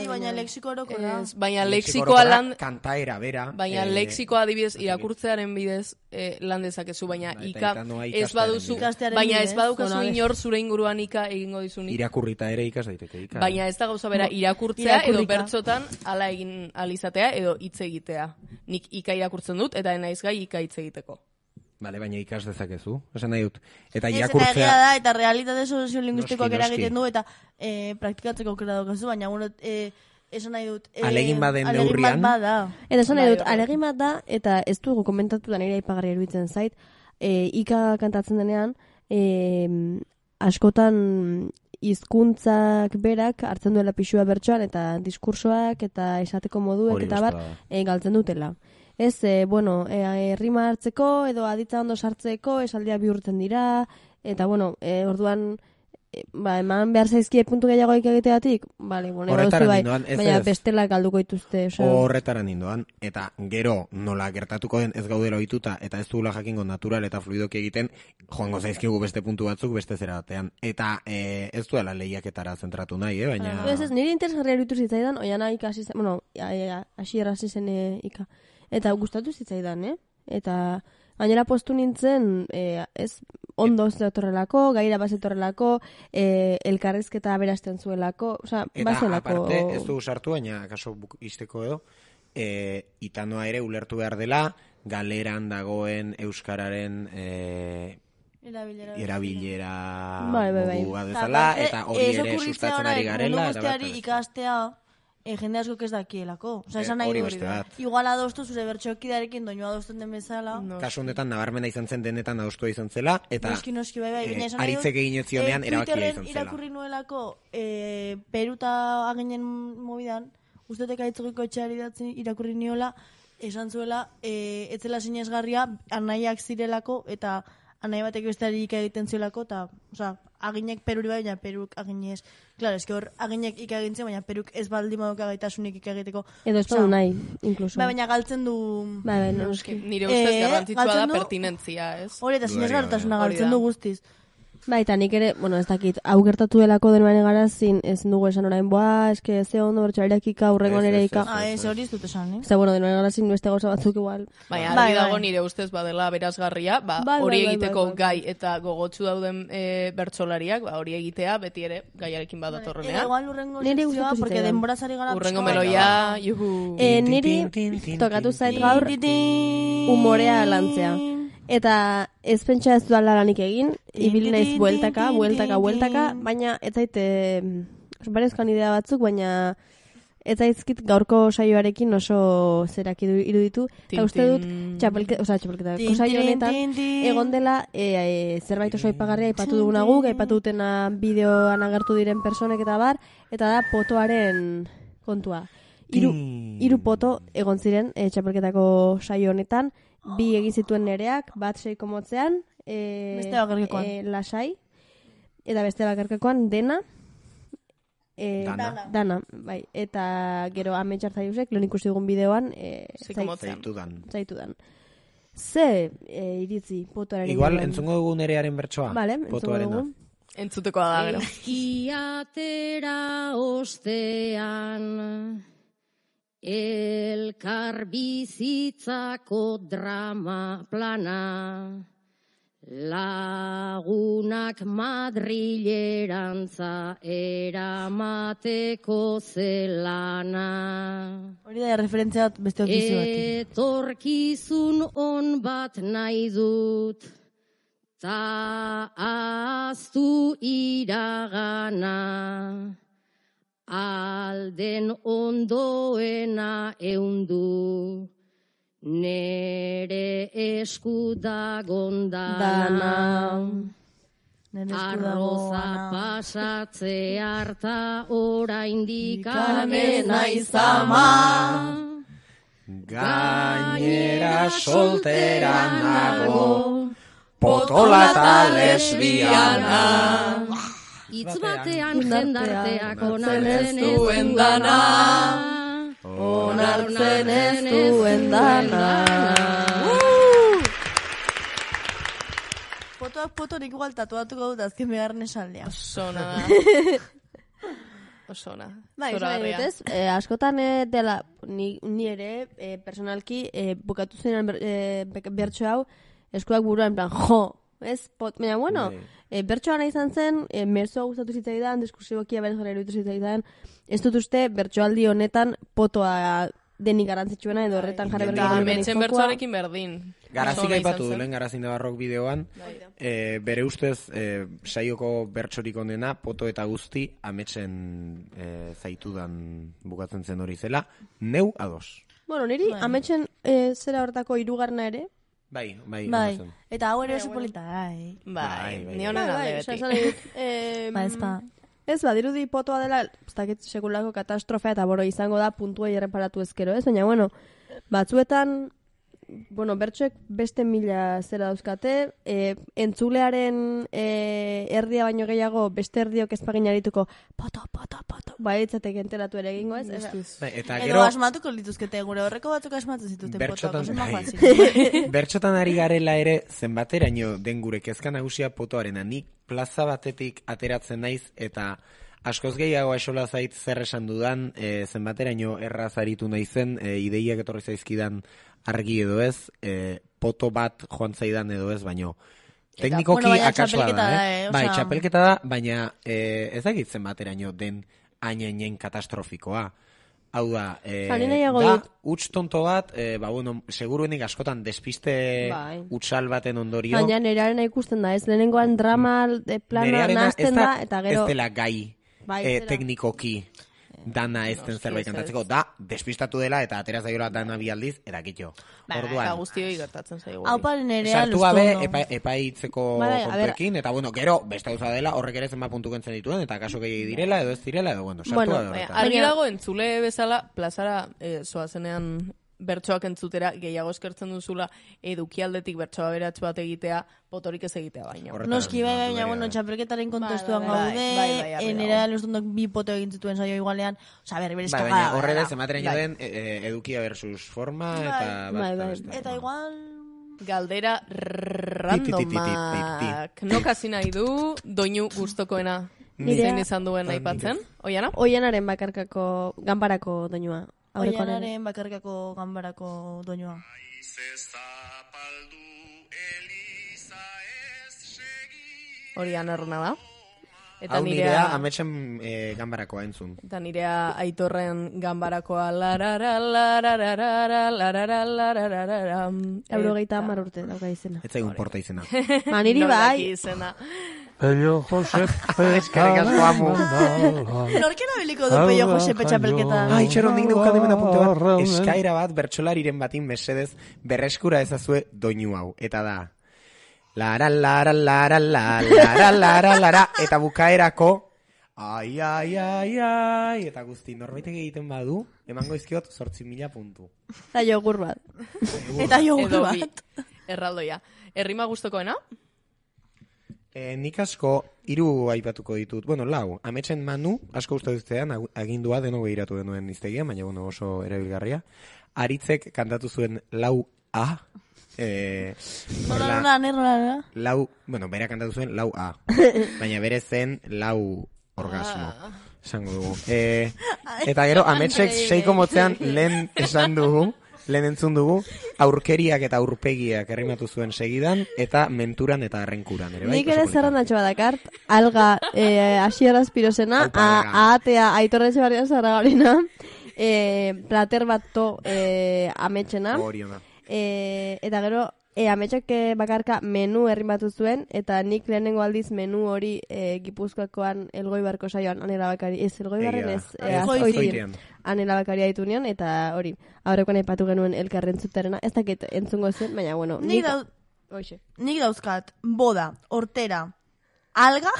Baina lexiko orokorra. Ez, baina Lexiko lexikoa orokorra, lan... kantaera bera. Baina eh, lexikoa adibidez irakurtzearen bidez eh, lan dezakezu, baina Ba, eta ika itanoa ez ikastearen baduzu, bidez. Ikastearen baina ez bidez. badukazu Bueno, inor zure inguruan ika egingo dizunik. Irakurrita ere ikas daiteke ika. Baina ez da gauza bera Bo, irakurtzea edo irakurrika. bertsotan hala egin alizatea edo hitz egitea. Nik ika irakurtzen dut eta naiz gai ika hitz egiteko. Bale, baina ikas dezakezu, esan nahi dut. Eta Ez, eta egia irakurtzea... da, eta realitate soziolinguistikoak Noski, noski. eragiten du, eta e, praktikatzeko aukera daukazu, baina gure, e, esan nahi dut... E, Ahalegin baden ahalegin neurrian. bat bada. Eta esan nahi Bai, dut, bai. alegin bat da, eta ez dugu komentatu da nire aipagarri eruditzen zait, e, ika kantatzen denean, e, askotan hizkuntzak berak hartzen duela pixua bertsoan, eta diskursoak, eta esateko moduek, Hori eta bar, beste da. e, galtzen dutela. Ez, e, bueno, e, rima hartzeko, edo aditza ondo sartzeko, esaldia bihurtzen dira, eta, bueno, e, orduan, e, ba, eman behar zaizkie puntu gehiagoik egiteatik, bale, bueno, Horretara baduzu bai, nindoan, ez baina ez. bestela galduko dituzte, osea. Horretara nindoan, eta gero nola gertatuko den ez gaudela ohituta eta ez dugula jakingo natural eta fluidoki egiten, joango zaizkigu beste puntu batzuk beste zera batean. Eta e, ez duela lehiaketara zentratu nahi, eh? baina... Ez ez, nire interesgarria iruditu zitzaidan, oiana ikasi zen, bueno, hasi errasi zen e, ika. Eta gustatu zitzaidan, eh? Eta gainera postu nintzen, e, ez, ondo zetorrelako, gaira bazetorrelako, e, elkarrizketa berazten zuelako, osea, Eta bazelako... aparte, ez du sartu, baina kaso buk- izteko edo, e, itanoa ere ulertu behar dela, galeran dagoen euskararen e, Erabilera. erabilera Bai, bai, bai. modua bezala, aparte, eta hori ez ere okurritzea sustatzen orain, ari garela. mundu eta bat, guztiari eta beste. ikastea, e, jende askok ez dakielako. Osa, Eh, esan nahi hori du beste hori da. bat. Igual adostu zure bertxokidarekin doinu adosten den bezala. Kasu honetan nabarmena izan zen denetan adostua izan zela, eta Noski, noski, bai, bai. eh, baina esan nahi dut, aritzek egin ez zionean eh, erabakia Twitterren izan zela. irakurri nuelako e, Peruta aginen mobidan, ustetek aitzogiko etxeari datzen irakurri niola, esan zuela, e, etzela sinesgarria, anaiak zirelako, eta anai batek besteari ika egiten ziolako, eta, osea, aginek Peruri bai, baina Peruk aginez. Claro, eske hor, aginek ika egintzen, baina Peruk ez baldin badoka gaitasunik ika egiteko. Edo ez badu nahi, inkluso. Bai, baina galtzen du... Bai, bai, noski. Nire ustez Eh, garrantzitsua da galtzen du- pertinentzia, ez? Hori eta sinesgarritasuna Hori galtzen da. du guztiz. Bai, eta nik ere, bueno, ez dakit, hau gertatu delako denuen garazin, ez dugu esan orain, boa, eske ze ondo bertxoareak ika, hurrengo nere ika. Ah, ez hori ez dut esan, eh? Eta, bueno, denuen garazin beste gauza batzuk igual. Baina, argi dago nire ustez badela berazgarria, ba, hori egiteko gai eta gogotsu dauden bertsolariak, ba, hori egitea beti ere gaiarekin badatorrenean. Igual urrengo sekzioa, porque denbora zari gara... Urrengo meloia, juhu. Niri tokatu zait gaur umorea lantzea. Eta ez pentsa ez duan laganik egin, ibil naiz bueltaka, bueltaka, bueltaka, baina ez zaite, barezkoan idea batzuk, baina ez zaizkit gaurko saioarekin oso zerak iruditu. Eta uste dut, txapelketa, oza, txapelketa, saio honetan, egon dela zerbait oso aipagarria aipatu duguna guk, aipatu dutena bideoan agertu diren personek eta bar, eta da potoaren kontua. Hiru hiru poto egon ziren txapelketako saio honetan, bi egin zituen nereak, bat seiko motzean, e, beste bakarkekoan. E, lasai, eta beste bakarkekoan dena, e, dana. dana, bai, eta gero ametxar zaiuzek, lehen ikusi dugun bideoan, e, seiko motzean. Zaitudan. Zaitudan. Ze e, iritzi, potoaren igual, entzungo dugu nerearen bertsoa? Vale, entzungo dugu. Entzutekoa da, gero. Eskiatera ostean... Elkar bizitzako drama plana, lagunak Madrilerantza eramateko zelana. Hori da referentzia beste ofizi bat. Etorkizun on bat nahi dut, ta aztu iragana. Alden ondoena eundu, nere esku dagon dana. Arroza pasatze harta oraindik amena izama. Gainera soltera nago, potola eta lesbiana. Itz batean jendarteak onartzen ez duen dana, onartzen ez duen dana. Potoak poto nik igual tatuatuko dut azken begarren esaldia. Osona da. Osona. Bai, ez, eh, askotan eh, dela, ni, ni ere, eh, personalki, eh, bukatu zenean ber, eh, bertso hau, eskuak buruan, en plan, jo, ez, pot, baina, bueno, e, bertsoa nahi izan zen, e, mezua gustatu zitzaidan, diskursibokia berez gara iruditu zitzaidan, ez dut uste bertsoaldi honetan potoa denik garantzitsuena edo horretan jarri berri gara. Ametxen bertsoarekin berdin. Garazik aipatu du, lehen Garazin de Barrok bideoan, e, bere ustez e, saioko bertsorik onena, poto eta guzti, ametxen e, zaitudan bukatzen zen hori zela, neu ados. Bueno, niri, ametxen e, zera horretako hirugarrena ere, Bai, bai, bai. Eta hau ere oso polita, bai. Bai, ni honen alde beti. Ba, ez ba. Ez, badirudi potoa dela, ez dakit sekulako katastrofea eta boro izango da puntua erreparatu ezkero, ez? Baina, bueno, batzuetan, bueno, bertsoek beste mila zera dauzkate, e, entzulearen e, erdia baino gehiago, beste erdiok ezpagin arituko, poto, poto, poto, bai, etzatek enteratu ere egingo, ez? Bai, eta gero... Edo asmatuko lituzkete, gure horreko batzuk asmatu zituzten potoak, oso magoa bertxotan ari garela ere, zenbateraino den gure kezka nagusia potoarena, nik plaza batetik ateratzen naiz, eta askoz gehiago aixola zait zer esan dudan, e, zenbateraino erraz aritu naizen, e, ideiak etorri zaizkidan argi edo ez, e, poto bat joan zaidan edo ez, baino teknikoki bueno, akasua da, eh? Bai, txapelketa da, baina e, ez dakitzen bateraino den ainainen katastrofikoa. Hau da, e, da huts tonto bat, e, ba, bueno, seguruenik askotan despiste bai. Hutsal baten ondorio. Baina nerearena ikusten da, ez lehenengoan drama plana nazten da, eta gero... Ez dela gai bai, e, teknikoki dana ez den zerbait kantatzeko, da, despistatu dela eta ateraz daiola dana bialdiz, erakitxo. Ba, eta guztioi gertatzen zaigu. Hau paren nerea sartu gabe epaitzeko kontuekin, eta bueno, gero, beste gauza dela, horrek ere zenba puntu kentzen dituen, eta kaso gehiagi direla, edo ez direla, edo bueno, sartu bueno, gabe horretan. Argi dago, entzule bezala, plazara eh, zoazenean bertsoak entzutera, gehiago eskertzen duzula edukialdetik bertsoa beratx bat egitea, potorik ez egitea baino. Noski bai, baina, bueno, txapelketaren kontestuan gaude, enera luztundok bi poto egin zituen saio igualean, oza, berri berez kagada. Baina horre dez, ematen den edukia versus forma, eta... Eta igual... Galdera randomak. Nok hasi nahi du doinu gustokoena. Zein izan duen aipatzen? Oiana? Oianaren bakarkako ganbarako doinua. Oianaren bakarkako ganbarako doinua. Hori anerruna da. Eta hau nirea ametsen e, gambarakoa entzun. Eta nirea Aitorren gambarakoa larara, larara, larara, larara. Eurogeita hamar urte dauka izena. Ez zaigun porta izena. Maniri bai. Pello Josep Norkera beliko du Pello Josep txapelketa? Ai, txeron dik neukan hemen apunte bat. Eskaira bat bertsolariren batin mesedez berreskura ezazue doinu hau. Eta da... Lara, lara, lara, lara, lara, lara, lara, eta bukaerako, ai, ai, ai, ai, eta guzti, norbaitek egiten badu, emango izkiot zortzi mila puntu. Eta jogur bat. Eta jogur bat. Erraldoia. Errima gustokoena? E, nik asko, hiru aipatuko ditut, bueno, lau, ametsen Manu, asko uste duztean, agindua deno behiratu denuen iztegia, baina bueno, oso erabilgarria. Aritzek kantatu zuen lau A, Eh, nola, nola, nola, nola. Lau, bueno, bera kantatu zuen lau A. Baina bere zen lau orgasmo. Esango dugu. Eh, eta gero, ametsek seiko motzean lehen esan dugu, lehen entzun dugu, aurkeriak eta aurpegiak errimatu zuen segidan, eta menturan eta arrenkuran. Ere, bai? Nik ere zerrandatxo badakart, alga eh, Asier Azpirozena, ahatea Aitorretxe Barria Zaragarina, eh, plater bat to eh, ametsena. Oriona. E, eta gero, e, ametsak bakarka menu errimatu zuen, eta nik lehenengo aldiz menu hori e, Gipuzkoakoan Elgoibarko saioan Anela Bakari, ez Elgoibarren ez, e, Azkoitian Anela Bakari haitu nion, eta hori, aurrekoan aipatu genuen elkarren zuterena, ez dakit entzungo zen, baina bueno, nik, nik, dauz, nik dauzkat, boda, hortera, alga,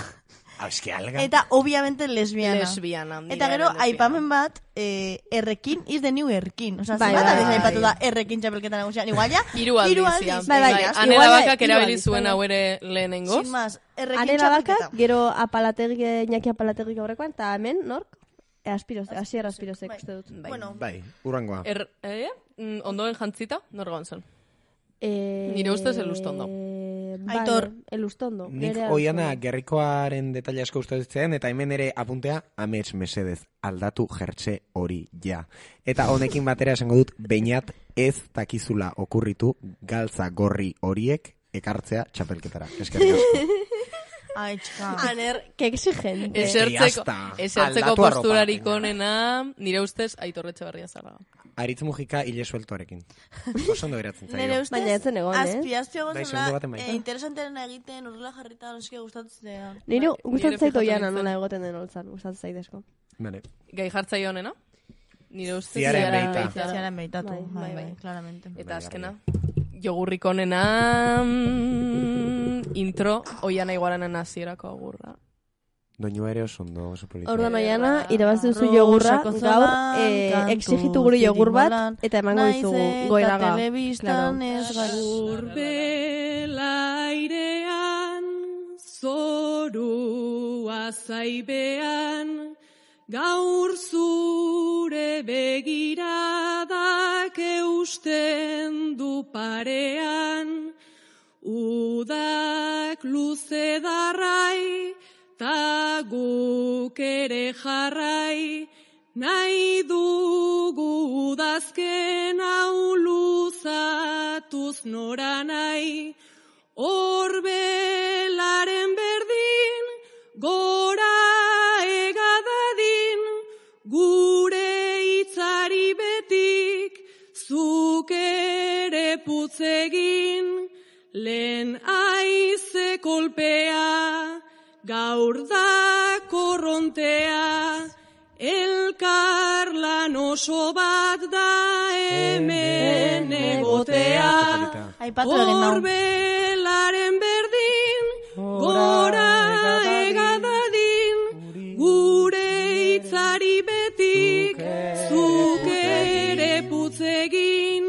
ah, eski alga. Eta obviamente lesbiana. Lesbiana. Eta gero, aipamen bat, eh, errekin is the new erkin. Osa, bai, bat adiz aipatu da errekin txapelketan nagusian. Igual ya, hiru aldiz. Bai, bai, Anela Bakak erabili zuen hau ere lehenengoz. Sin más, errekin Anela Bakak, gero apalategi, Iñaki apalategi gaurrekoan, eta hemen, nork? Aspirozek, Asier Azpirozek, uste dut. Bai, urrangoa. Ondoen jantzita, nor gaun zen? Eh, Nire ustez elustondo. Aitor, elustondo. Nik Oiana gerrikoaren detaile asko uste ditzean, eta hemen ere apuntea amets mesedez, aldatu jertxe hori ja. Eta honekin batera esango dut, beinat ez takizula okurritu galtza gorri horiek ekartzea txapelketara. Eskerrik asko. Ai, txika. Aner, que exigente. Esertzeko, esertzeko posturarik onena, nire ustez, Aitor Etxebarria Zarraga. Aritz Mujika hile sueltoarekin. Oso ondo geratzen zaio. Nire ustez, baina etzen egon, eh? azpi, azpi egon eh, interesanteren egiten urrela jarrita noski gustatzen. Nire gustatzen zaitu Oiana nola egoten den holtzan, gustatzen zaidezko. Vale. Gai jartzaio honena? Nire ustez ziaren behita. Ziaren behitatu, bai, bai, claramente. Eta azkena, jogurrik onena intro Oiana Iguaranen hasierako agurra. Doinu ere oso ondo, oso polita. Ordan Oiana, irabazi duzu jogurra, gaur exigitu guri jogur bat, eta emango dizugu goiraga. Telebistan ez Urbela airean, zorua zaibean, gaur zure begiradak eusten du parean, udak luze darrai, ta guk ere jarrai, nahi dugu udazken hau luzatuz nora nahi, orbelaren berdin, gora egadadin, gure hitzari betik, zuk ere putzegin, lehen aize kolpea, gaur da korrontea, elkar lan oso bat da hemen egotea. Orbelaren berdin, gora egadadin, gure hitzari betik, zuk ere putzegin,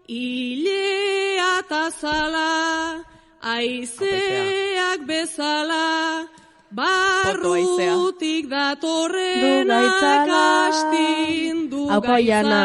hilea tazala, aizeak bezala, barrutik datorrenak astin du gaitzala.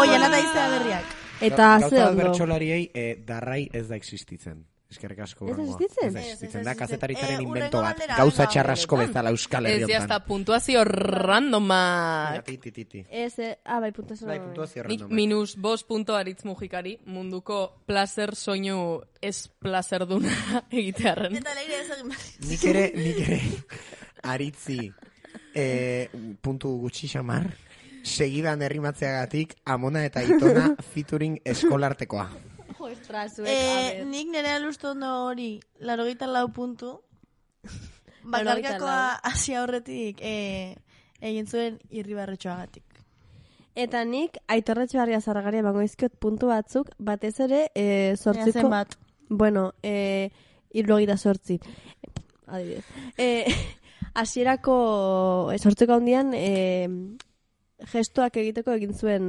Oiana da iztea berriak. Eta Gauza ze bat ondo. bertsolariei eh, darrai ez da existitzen. Eskerrik asko. Ez da Urrengoa. existitzen? Ez da existitzen, da kazetaritzaren Eh, invento urrengo bat. galdera, Gauza venga. txarrasko bezala Euskal Ez Herri ya hasta hontan. puntuazio randomak. Ti, ti, ti, ti. Ez, eh, ah, bai, puntuazio. Bai, puntuazio Nik randomak. minus bost punto aritz mujikari munduko placer soinu ez plazerduna egitearren. Eta leire ez egin behar. Nik ere, nik ere, aritzi eh, puntu gutxi xamar, segidan herrimatzeagatik Amona eta Itona featuring eskolartekoa. Ostras, zuek, Eh, nik nire alustu ondo hori, larogeita lau puntu. Laurogeita Bakarkakoa hasi aurretik eh, egin zuen irribarretxoagatik. Eta nik Aitorretxe Barria Zarragari emango izkiot puntu batzuk, batez ere e, Ea sortziko... zenbat? Bueno, e, irrogeita sortzi. Adibidez. E, hasierako e, sortzeko handian e, gestoak egiteko egin zuen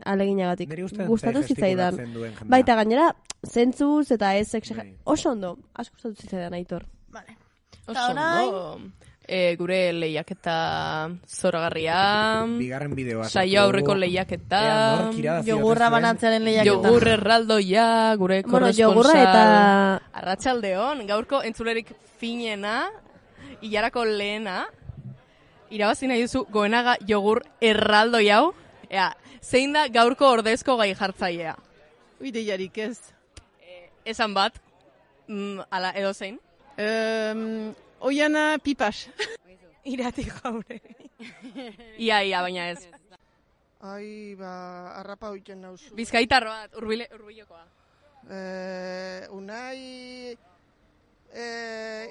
aleginagatik. Niri uste dut Gustatu ze zitzaidan. gestikulatzen duen jendea. Baita gainera, zentzuz eta ez exager... Bai. Oso ondo, asko gustatu zitzaidan Aitor. Vale. Oso ondo. E, gure lehiaketa zoragarria. Bigarren bideoa. Saio aurreko lehiaketa. Ea, nork irabazio Jogurra ote zuen? banatzearen lehiaketa. Jogur erraldoia, gure Bueno, korresponsal. jogurra eta- Arratsaldeon, gaurko entzulerik finena, ilarako lehena, irabazi nahi duzu Goenaga jogur erraldoi hau. Ea, zein da gaurko ordezko gai jartzailea? Ideiarik ez. Esan bat, mm, ala edo zein? Um, Oiana pipas. Irati jaure. Ia, ia, baina ez. Ai, ba, arrapa hoiten nauzu. Bizkaitar bat, urbile, urbilokoa. Eh, unai... Eh,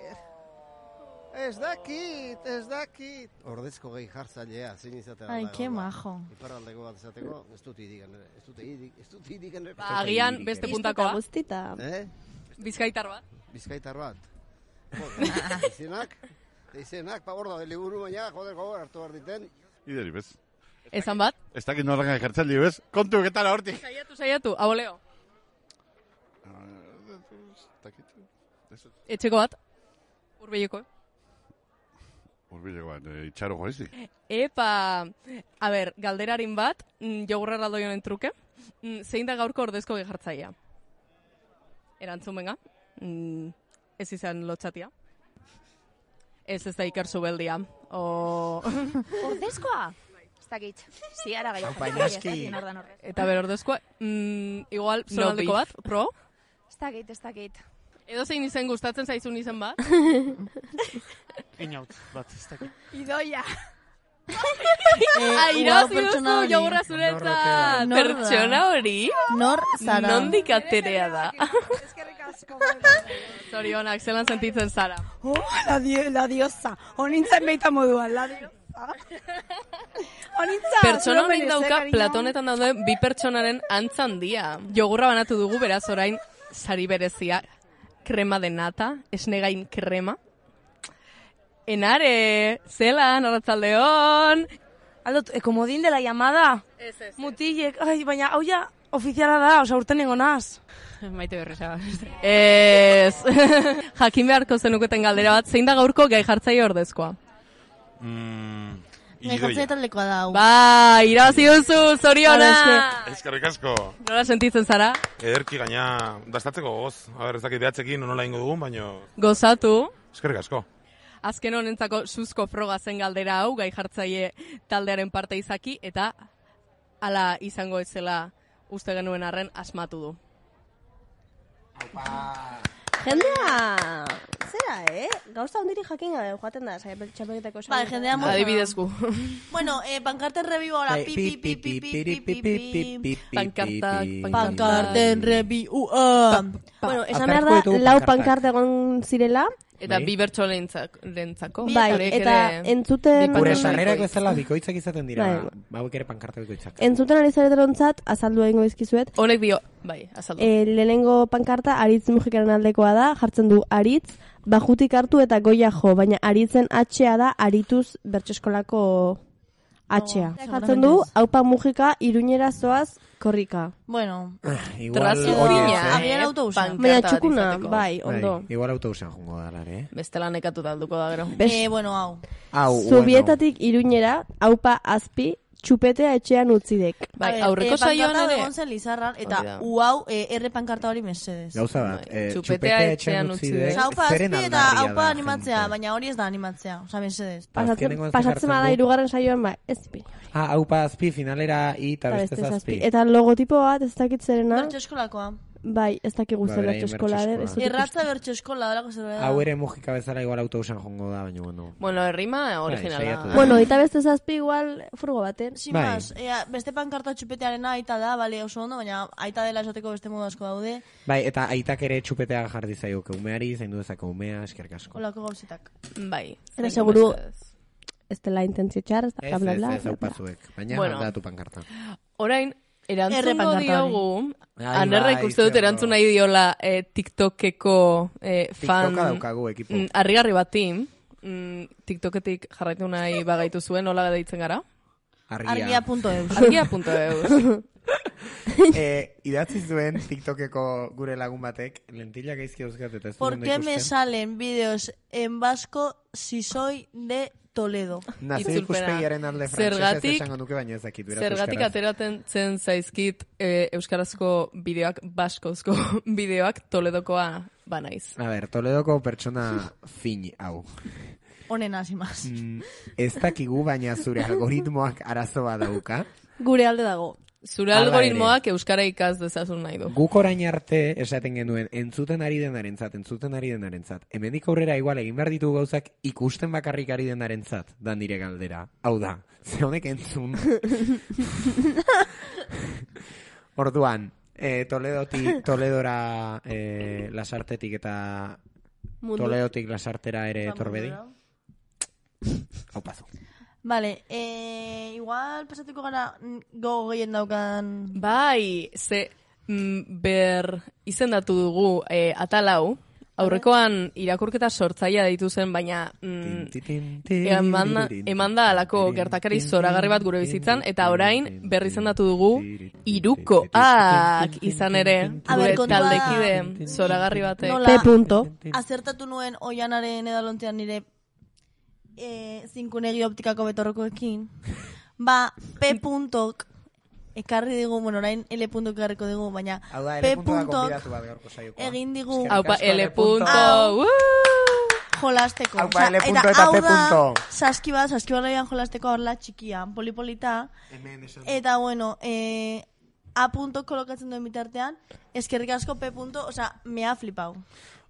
ez dakit, ez dakit. Ordezko gehi jartzailea, zein izatea. Ai, ke majo. Iparraldeko bat izateko, ez dut idigan ere. Ez dut idik, ez dut idigan ere. Ba, agian beste puntakoa. Guztita. Eh? Bizkaitar bat. Bizkaitar bat. Izenak, izenak, pa hor da, liburu baina, joder, gogor hartu behar diten. Ideri, bez. Esan bat? Ez dakit norrak ejertzaldi, bez. Kontu, ketara hortik. Saiatu, saiatu, aboleo. Etxeko bat? Urbileko. Urbileko bat, e, itxaro joizik. Epa, a ber, galderarin bat, mm, jogurra erraldoionen truke, mm, zein da gaurko ordezko gehartzaia? Erantzun benga, mm, ez izan lotxatia. Ez ez da Iker Zubeldia. O... Ordezkoa? Ez dakit. Ziara gai. Eta ber, ordezkoa, mm, igual, zonaldeko bat, pro? Ez dakit, ez dakit. Edo zein izen gustatzen zaizun izen bat? Inaut, bat, ez dakit. Idoia. Ah, irabazi duzu jogurra zuretzat. Pertsona hori? Nor zara? Nondik aterea da? Zorionak, zelan sentitzen zara? Oh, la, di la diosa. Onintzen beita moduan, la diosa. Onintza, Pertsona zure honek berez, dauka, eh, cariño? Platonetan daude bi pertsonaren antzan dia. Jogurra banatu dugu, beraz orain, sari berezia, krema de nata, esnegain krema. Enare, zelan, arratzaldeon. Aldo, e, komodin de la llamada. Ez, ez. Mutilek, ai, baina, hau ja, ofiziala da, osa urten nengo naz. Maite berresa. Ez. Jakin beharko zenuketen galdera bat, zein da gaurko gai jartzaile ordezkoa? Mm, Gai jartzaile taldekoa da. hau. Ba, irabazi duzu, zoriona! Eskerrik asko. Nola sentitzen zara? Ederki gaina dastatzeko goz. A ber, ez dakit behatzekin nola ingo dugun, baino... Gozatu. Eskerrik asko. Azken honentzako suzko froga zen galdera hau, gai jartzaile taldearen parte izaki, eta hala izango ez zela uste genuen arren asmatu du. Jendea, zera, eh? Gauza ondiri jakin gabe joaten da, txapelketako Bai, jendea moza. Adibidezku. Bueno, eh, pankarten rebiu ahora. Pi, pi, pi, pi, pi, pi, pi, pi, pi. Pankartak, Pankarten rebiu. ah. Bueno, esan behar da, lau pankarte egon zirela. Eta bi bertso lehentzako. Bai, eta entzuten... Gure sarrerak bezala bikoitzak izaten dira. Bai. Bauek ere pankarte bikoitzak. Entzuten ari zareterontzat, azaldu egingo izkizuet. Honek dio, bai, azaldu. E, lehenengo pankarta Aritz Mujikaren aldekoa da, jartzen du Aritz, bajutik hartu eta goia jo, baina Aritzen H-a da Arituz bertseskolako H-a. Oh, jartzen du, haupa Mujika, Iruñera zoaz, korrika. Bueno, Igual agian autobusan. Baina txukuna, bai, ondo. Igual autobusan jongo da, lare. Bestela nekatu talduko da, gero. Eh, bueno, hau. Hau, Zubietatik Iruñera, haupa Azpi, txupetea etxean utzidek. Bai, A ver, aurreko eh, saioan pankarta ere. egon zen Lizarran, eta Hori da. uau, eh, erre pankarta hori mesedez. Gauza bat, eh, Txupetea txupetea etxean etxean utzi utzi dek. dek, Haupa zeren azpi eta aldarria haupa da, animatzea, gente. baina hori ez da animatzea, oza, mesedez. Pasatzen, Azkenengoan pasatzen zehartzen bada du. hirugarren saioan, ba, ez ipini. Ah, haupa azpi, finalera i eta Eta beste beste zazpi. zazpi. Eta logotipo bat, ez dakit zerena, Bertxo eskolakoa. bai, ez dakik Ba, guzti beraien bertxo eskola bertso den. ez eskola. dut Erratza bertxo eskola, dalako zerbait da. Hau ere mugika bezala igual autobusan jongo da, baina bueno. Bueno, errima saiatu originala. da. Bueno, eta beste zazpi igual furgo baten. Sin Bai. más, ea, beste pankarta txupetearena aita da, bale, oso ondo, baina aita dela esateko beste modu asko daude, Bai, eta aitak ere txupetea jarri zaioke umeari, zaindu dezake umea, eskerrik asko. olako gauzetak. Bai. Era zaindu seguru mesedez. ez dela intentzio txar, ez da, Ez, bla, bla, ez, bla. ez, bla, bla. aupazuek. Baina Bueno. aldatu pankarta. Orain, Erre erantzungo pankarta hori. diogu, Ai, Anerrek bai, uste dut zer erantzun ondo. nahi diola eh, TikTokeko eh, fan... TikToka daukagu, ekipo. mm, Harrigarri bati, mm, TikToketik jarraitu nahi bagaitu zuen, nola deitzen gara? Argia punto eus. Argia punto eus. eh, idatzi zuen TikTokeko gure lagun batek, lentilla gaizki dauzkat eta ez ¿Por dut qué ondo me ikusten. salen vídeos en vasco si soy de Toledo? Nazio Itzulpena. ikuspegiaren alde frantsesez Zergatik- esango nuke baino ezakit. beraz Zergatik euskaraz. ateraten zen zaizkit eh, euskarazko bideoak, baskozko bideoak Toledokoa banaiz. A ber, Toledoko pertsona fin hau. Honen hasi más. Mm, ez dakigu, baina zure algoritmoak arazoa dauka. Gure alde dago. Zure Hala algoritmoak euskara ikas dezazun nahi du. Guk orain arte esaten genuen entzuten ari denarentzat, entzuten ari denarentzat. Hemendik aurrera igual egin behar ditugu gauzak ikusten bakarrik ari denarentzat, dan dire galdera. Hau da, ze honek entzun. Orduan, eh, Toledoti, Toledora eh, lasartetik eta Mundu. Toledotik lasartera ere torbedi. Hau pazu. Vale, eh, igual pasatuko gara mm, gogo gehien daukan... Bai, ze mm, ber izendatu dugu eh, atalau, aurrekoan irakurketa sortzaia deitu zen, baina mm, emanda, emanda alako gertakari zoragarri bat gure bizitzan, eta orain berri izendatu dugu irukoak izan ere, A gure ber, kontua da- taldekide zoragarri batek. Nola, P punto. azertatu nuen oianaren edalontzean nire eh, zinkunegi optikako betorrokoekin, ba, P puntok ekarri digu, bueno, orain L puntok ekarriko digu, baina Hau da, P L puntua puntok gonbidatu bat gaurko saiokoa. egin digu Haupa, L punto, Hau. uh! jolasteko. Haupa, L punto eta eta hau P da, punto. saski bat, saski barraian jolasteko horla txikia, polipolita, Hemen esan. eta bueno, eh, A punto kolokatzen duen bitartean, eskerrik asko P punto, osea, me ha flipau.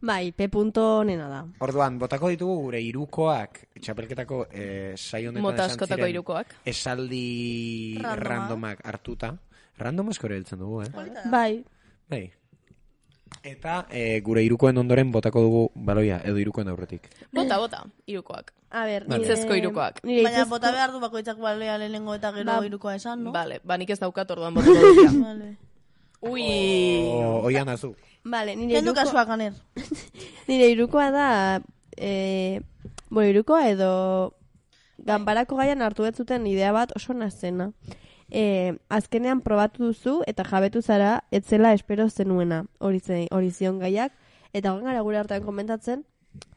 Bai, P punto nena da. Orduan, botako ditugu gure irukoak, txapelketako eh, saio honetan Mota esan askotako ziren hirukoak. esaldi Randoma. randomak hartuta. Random asko ere heltzen dugu, eh? Bai. Bai. Eta eh, gure irukoen ondoren botako dugu baloia, edo irukoen aurretik. Bota, bota, irukoak. A ber, Vale. Hitzezko irukoak. Nire Baina hitzezko- bota behar du bakoitzak balea lehenengo eta gero Ba- irukoa esan, no? Vale, ba nik ez daukat orduan botako dira. Vale. Ui! O, oian azu. Vale, nire Kendu iruko- kasua ganer. Nire irukoa da, eh, bueno, irukoa edo ganbarako gaian hartu betzuten idea bat oso nazena. Eh, azkenean probatu duzu eta jabetu zara etzela espero zenuena hori zen- hori zion gaiak, eta guen gara gure artean komentatzen,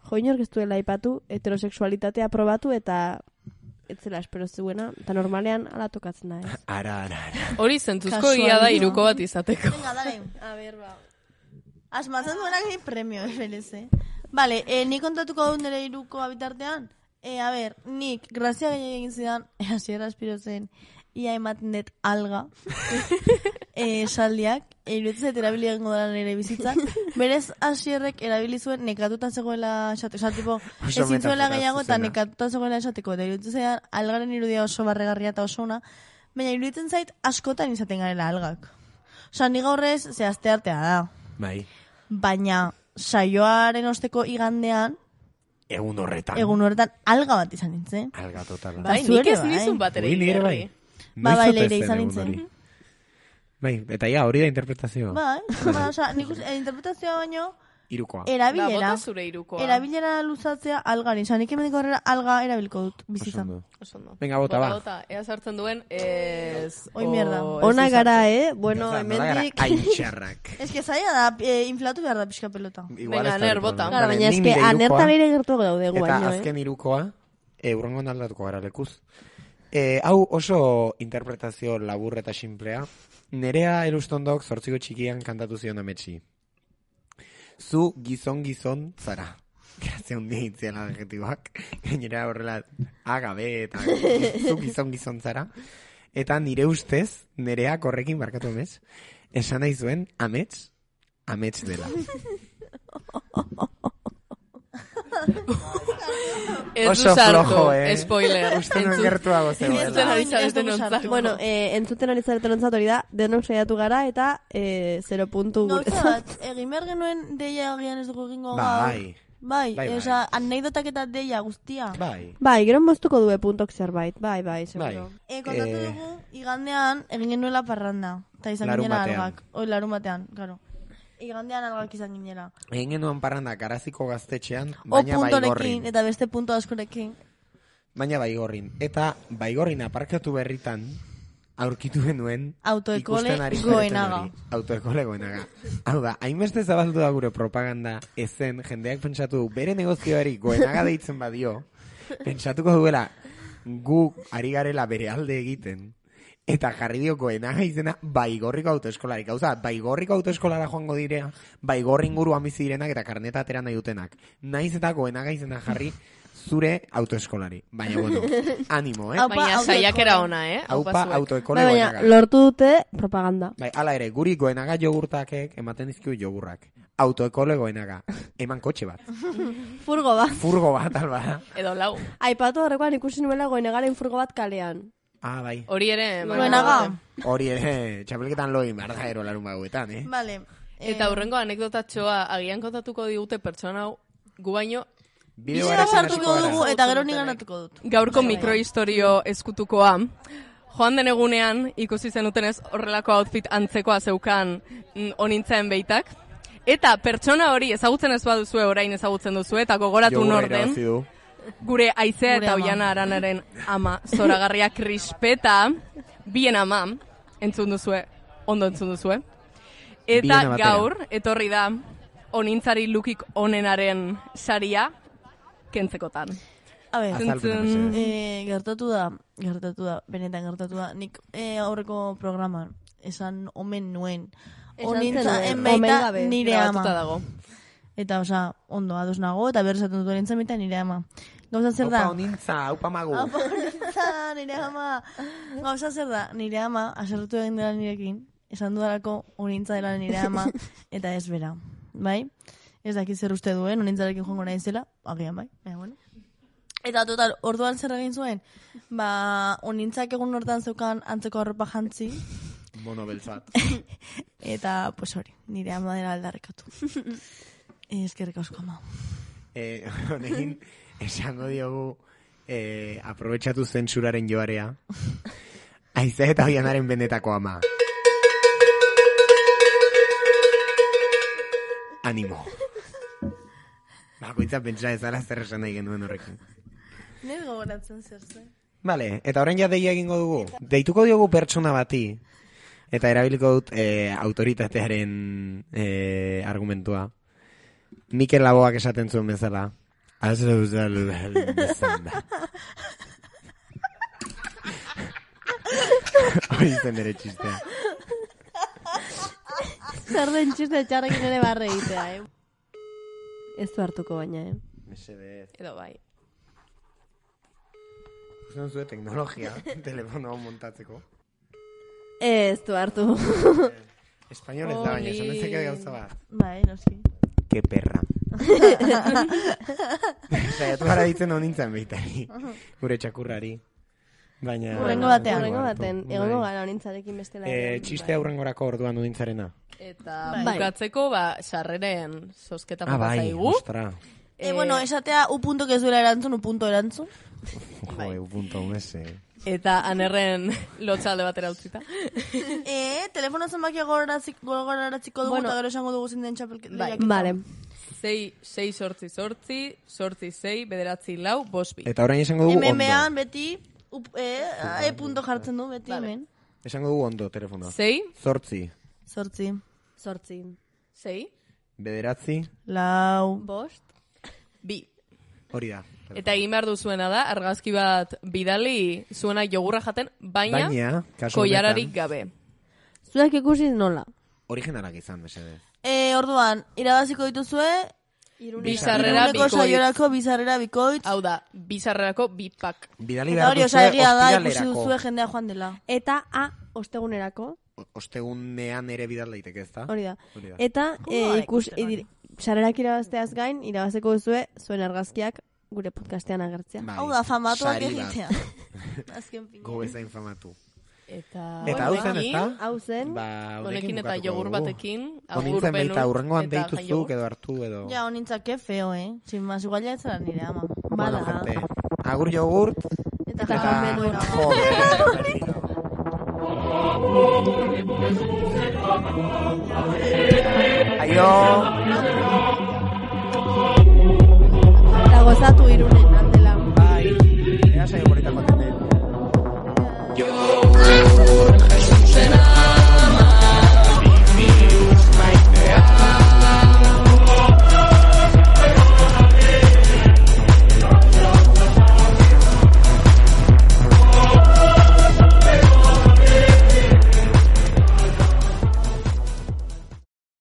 jo inork ez duela aipatu heterosexualitatea probatu eta etzela espero zuena, eta normalean ala tokatzen da, ez? Ara, ara, ara. Hori zentzuzko Kasualidad. ia da iruko bat izateko. Venga, dale. A ver, ba. Asmatzen duenak ni premio, efelez, eh? Vale, eh, nik kontatuko dut nire iruko bitartean. Eh, a ver, nik, grazia gehiagin egin zidan, eh, hasiera espiro zen, ia ematen dut alga, eh, saldiak, eh, iruditzen zait erabili egingo dara nire bizitzan. Berez, hasierrek erabili zuen nekatuta zegoela esateko, oza, tipo, Oso ezin zuela metafora gehiago eta zuzena. nekatuta zegoela esateko, eta iruditzen zaidan algaren irudia oso barregarria eta oso ona, baina iruditzen zait askotan izaten garela algak. Osa, ni gaur ez, ze aste artea da. Bai. Baina, saioaren osteko igandean, Egun horretan. egun horretan alga bat izan nintzen. Alga totala. Bai, Zu nik ere ez bai. nizun bat ere Ui, nire bai. igerri. Ba, Noiz bai, ote leire zen izan egun nintzen. hori? Bai, eta ja, hori da interpretazioa. Bai, ba, oza, nik uste, interpretazioa baino, Irukoa. Da, erabilera, bota zure irukoa. erabilera luzatzea algari. Oza, nik hemendik aurrera alga erabilko dut Oso bizitzan. ondo. Oso ondo. Venga, bota, ba. Bota, ea sartzen duen, ez... Oi, mierda. o ez Ona izan. gara, eh? Bueno, Oza, nola gara hemendik... aintxarrak. Ez que zaila da, eh, inflatu behar da pixka pelota. Igual Venga, ez da Aner, el bota. problema. Claro, Vale, baina nik eske nire anerta irukoa, leire gertu gaude Eta guaino, eh? azken irukoa, eurrengo aldatuko gara lekuz. E, hau oso interpretazio labur eta simplea. Nerea Elustondok zortziko txikian kantatu zion ametsi. Zu gizon-gizon zara. Grazia hundia itziela adjetiboak. Gainera horrela agabe eta zu gizon-gizon zara. Eta nire ustez, nereak horrekin barkatu emez, esan nahi zuen amets, amets dela. Oso flojo, eh? Spoiler. Uste non gertuago zegoela. Bueno, eh, entzuten ari zareten ontzat hori da, denok saiatu gara eta eh, zero puntu gure. Gauza bat, egin behar genuen deia agian ez dugu egingo gaur. Bai. Bai, Bai, bai. oza, anekdotak eta deia guztia. Bai. Bai, gero moztuko due puntok zerbait. Bai, bai, seguro. E, kontatu Eh. dugu, igandean egin genuela parranda. Eta izan Larun ginela batean. algak. Oi, larun batean, claro. Igandean algak izan ginela. Egin genuen parranda garaziko gaztetxean, O baina puntorekin, baigorrin. eta beste punto askorekin. Baina baigorrin. Eta baigorrin aparkatu berritan, aurkitu genuen Autoekole ikusten ari Goenaga. zareten hori. Autoekole Goenaga. Hau da, hainbeste zabaldu da gure propaganda ezen, jendeak pentsatu du, bere negozioari Goenaga deitzen badio, pentsatuko duela gu ari garela bere alde egiten, eta jarri dio Goenaga izena Baigorriko autoeskolari. Gauza, Baigorriko autoeskolara joango direa, Baigorri inguruan bizi direnak eta karneta atera nahi dutenak. Naiz eta Goenaga izena jarri zure autoeskolari. Baina, bueno, animo, eh? Baina saiakera ona, eh? Aupa autoekole Bai, baina Goenaga. lortu dute propaganda. Bai, ala ere, guri Goenaga jogurtakek ematen dizkiu jogurrak. Autoekole Goenaga. Eman kotxe bat. Furgo bat. Furgo bat, alba. Edo lau. Aipatu horrekoan ikusi nuela Goenagaren furgo bat kalean. Ah, bai. Hori ere... Goenaga. Hori ere, txapelketan loin behar da ero larun baguetan, eh? Vale. Eta hurrengo anekdotatxoa agian kontatuko digute pertsona hau gu baino Bideo Bizera sartuko dugu eta gero ni ganatuko dut. gaurko mikrohistorio eskutukoa. Joan den egunean ikusi zenutenez horrelako outfit antzekoa zeukan mm, onintzen beitak. Eta pertsona hori ezagutzen ez baduzue orain ezagutzen duzu eta gogoratu Jogurra norden. irabazi du. Gure Aizea Gure eta ama. Oiana Aranaren ama zoragarria Krispeta, bien ama, entzun duzue, ondo entzun duzue. Eta Biena batera. gaur, etorri da, onintzari lukik onenaren saria, kentzekotan. A ber, Azaldu Zentzun- mesedez. eh, gertatu da, gertatu da, benetan gertatu da. Nik eh, aurreko programan esan omen nuen. Esan Onintza zenuen, enbaita omen gabe. nire ama. Grabatuta dago. Eta, oza, ondo, ados nago, eta berrezaten dut onintza enbaita nire ama. Gauza zer da? Aupa onintza, aupa magu. Aupa onintza, nire ama. Gauza zer da, nire ama, aserretu egin dela nirekin, esan dudalako onintza dela nire ama, eta ez bera. Bai? Ez dakit zer uste duen, onintzarekin joango naizela, agian bai, baina bueno. Eta total, orduan zer egin zuen, ba, onintzak egun hortan zeukan antzeko arropa jantzi, Mono beltzat. eta, pues hori, nire ama dela aldarrekatu. Eskerrik asko ama. Eh, honekin, esango diogu, eh, aprobetxatu zentsuraren joarea. Aizea eta Oianaren benetako ama. Animo. Bakoitza pentsa ezala zer esan nahi genuen horrekin. Nire gogoratzen zer zen. Vale, eta orain ja deia egingo dugu. Deituko diogu pertsona bati, eta erabiliko dut eh, autoritatearen eh, argumentua. Mikel Laboak esaten zuen bezala. Azle uzalu bezan da. Hori zen ere txistea. Zer den txiste txarrekin ere barre egitea, eh? Ez du hartuko baina, eh? Mesedez. Edo bai. Usan zuen teknologia, telefono montatzeko. Ez du hartu. Espainol ez da, baina esan dezake gauza bat. Bai, noski. Que perra. Saiatu gara ditzen honintzen behitari. Gure txakurrari. Baina... Hurrengo batean. Hurrengo baten, Bai. egongo gara honintzarekin bestela. Eh, txiste aurrengorako orduan honintzarena. Eta Bai. bukatzeko, ba, sarreren zozketa Ah, falta bai, zaigu. ostra. E, bueno, esatea, u punto ez duela erantzun, u punto erantzun. Jo, eu punto mese. Eta anerren lotxalde batera utzita. E, telefono zenbakia gogoraratziko dugu, Bueno. eta gero esango dugu zinden txapelketa. Bai. Vale. Sei, sei sortzi sortzi, sortzi sei, bederatzi lau, bosbi. Eta orain esango dugu M ondo. M-an beti, u, e, e punto jartzen du, beti hemen. Esango dugu ondo telefonoa. Sei, Zortzi. Zortzi. Zortzi. sei, Bederatzi. Lau. Bost. bi. Hori da. Eta egin behar duzuena da, argazki bat bidali zuena jogurra jaten, baina, Baina, kasu koiararik honetan- gabe. Zuek ikusi nola? Originalak izan, mesedez. E, orduan, irabaziko dituzue... Bizarrera iruneko bikoitz. saiorako bizarrera bikoitz. Hau da, bizarrerako bipak. Bidali Eta behar hori, duzue osa egia da, ikusi ostiralerako. duzue jendea joan dela. Eta A, ostegunerako. Ostegunean ere bidal daiteke, ez da? Hori da. Hori da. Eta Joder, e, ikus, ikusten hori. e, sarerak irabazteaz gain, irabazeko duzue zuen argazkiak gure podcastean agertzea. Bai, Hau da, famatuak sari bat. egitea. Azken finean. Gu bezain famatu. Eta, Eta hau zen, ez da? Hau zen. Ba, honekin eta bukatuko jogur dugu. batekin, agur Honintzen benun, baita urrengoan eta deituzuk jaiogur. edo hartu edo... Ja, honintzak, que feo, eh? Sin más, igual ya ez zara nire ama. Bueno, gente, agur jogurt. Eta Eta, japan benun. joder. Aio. Eta gozatu irunen.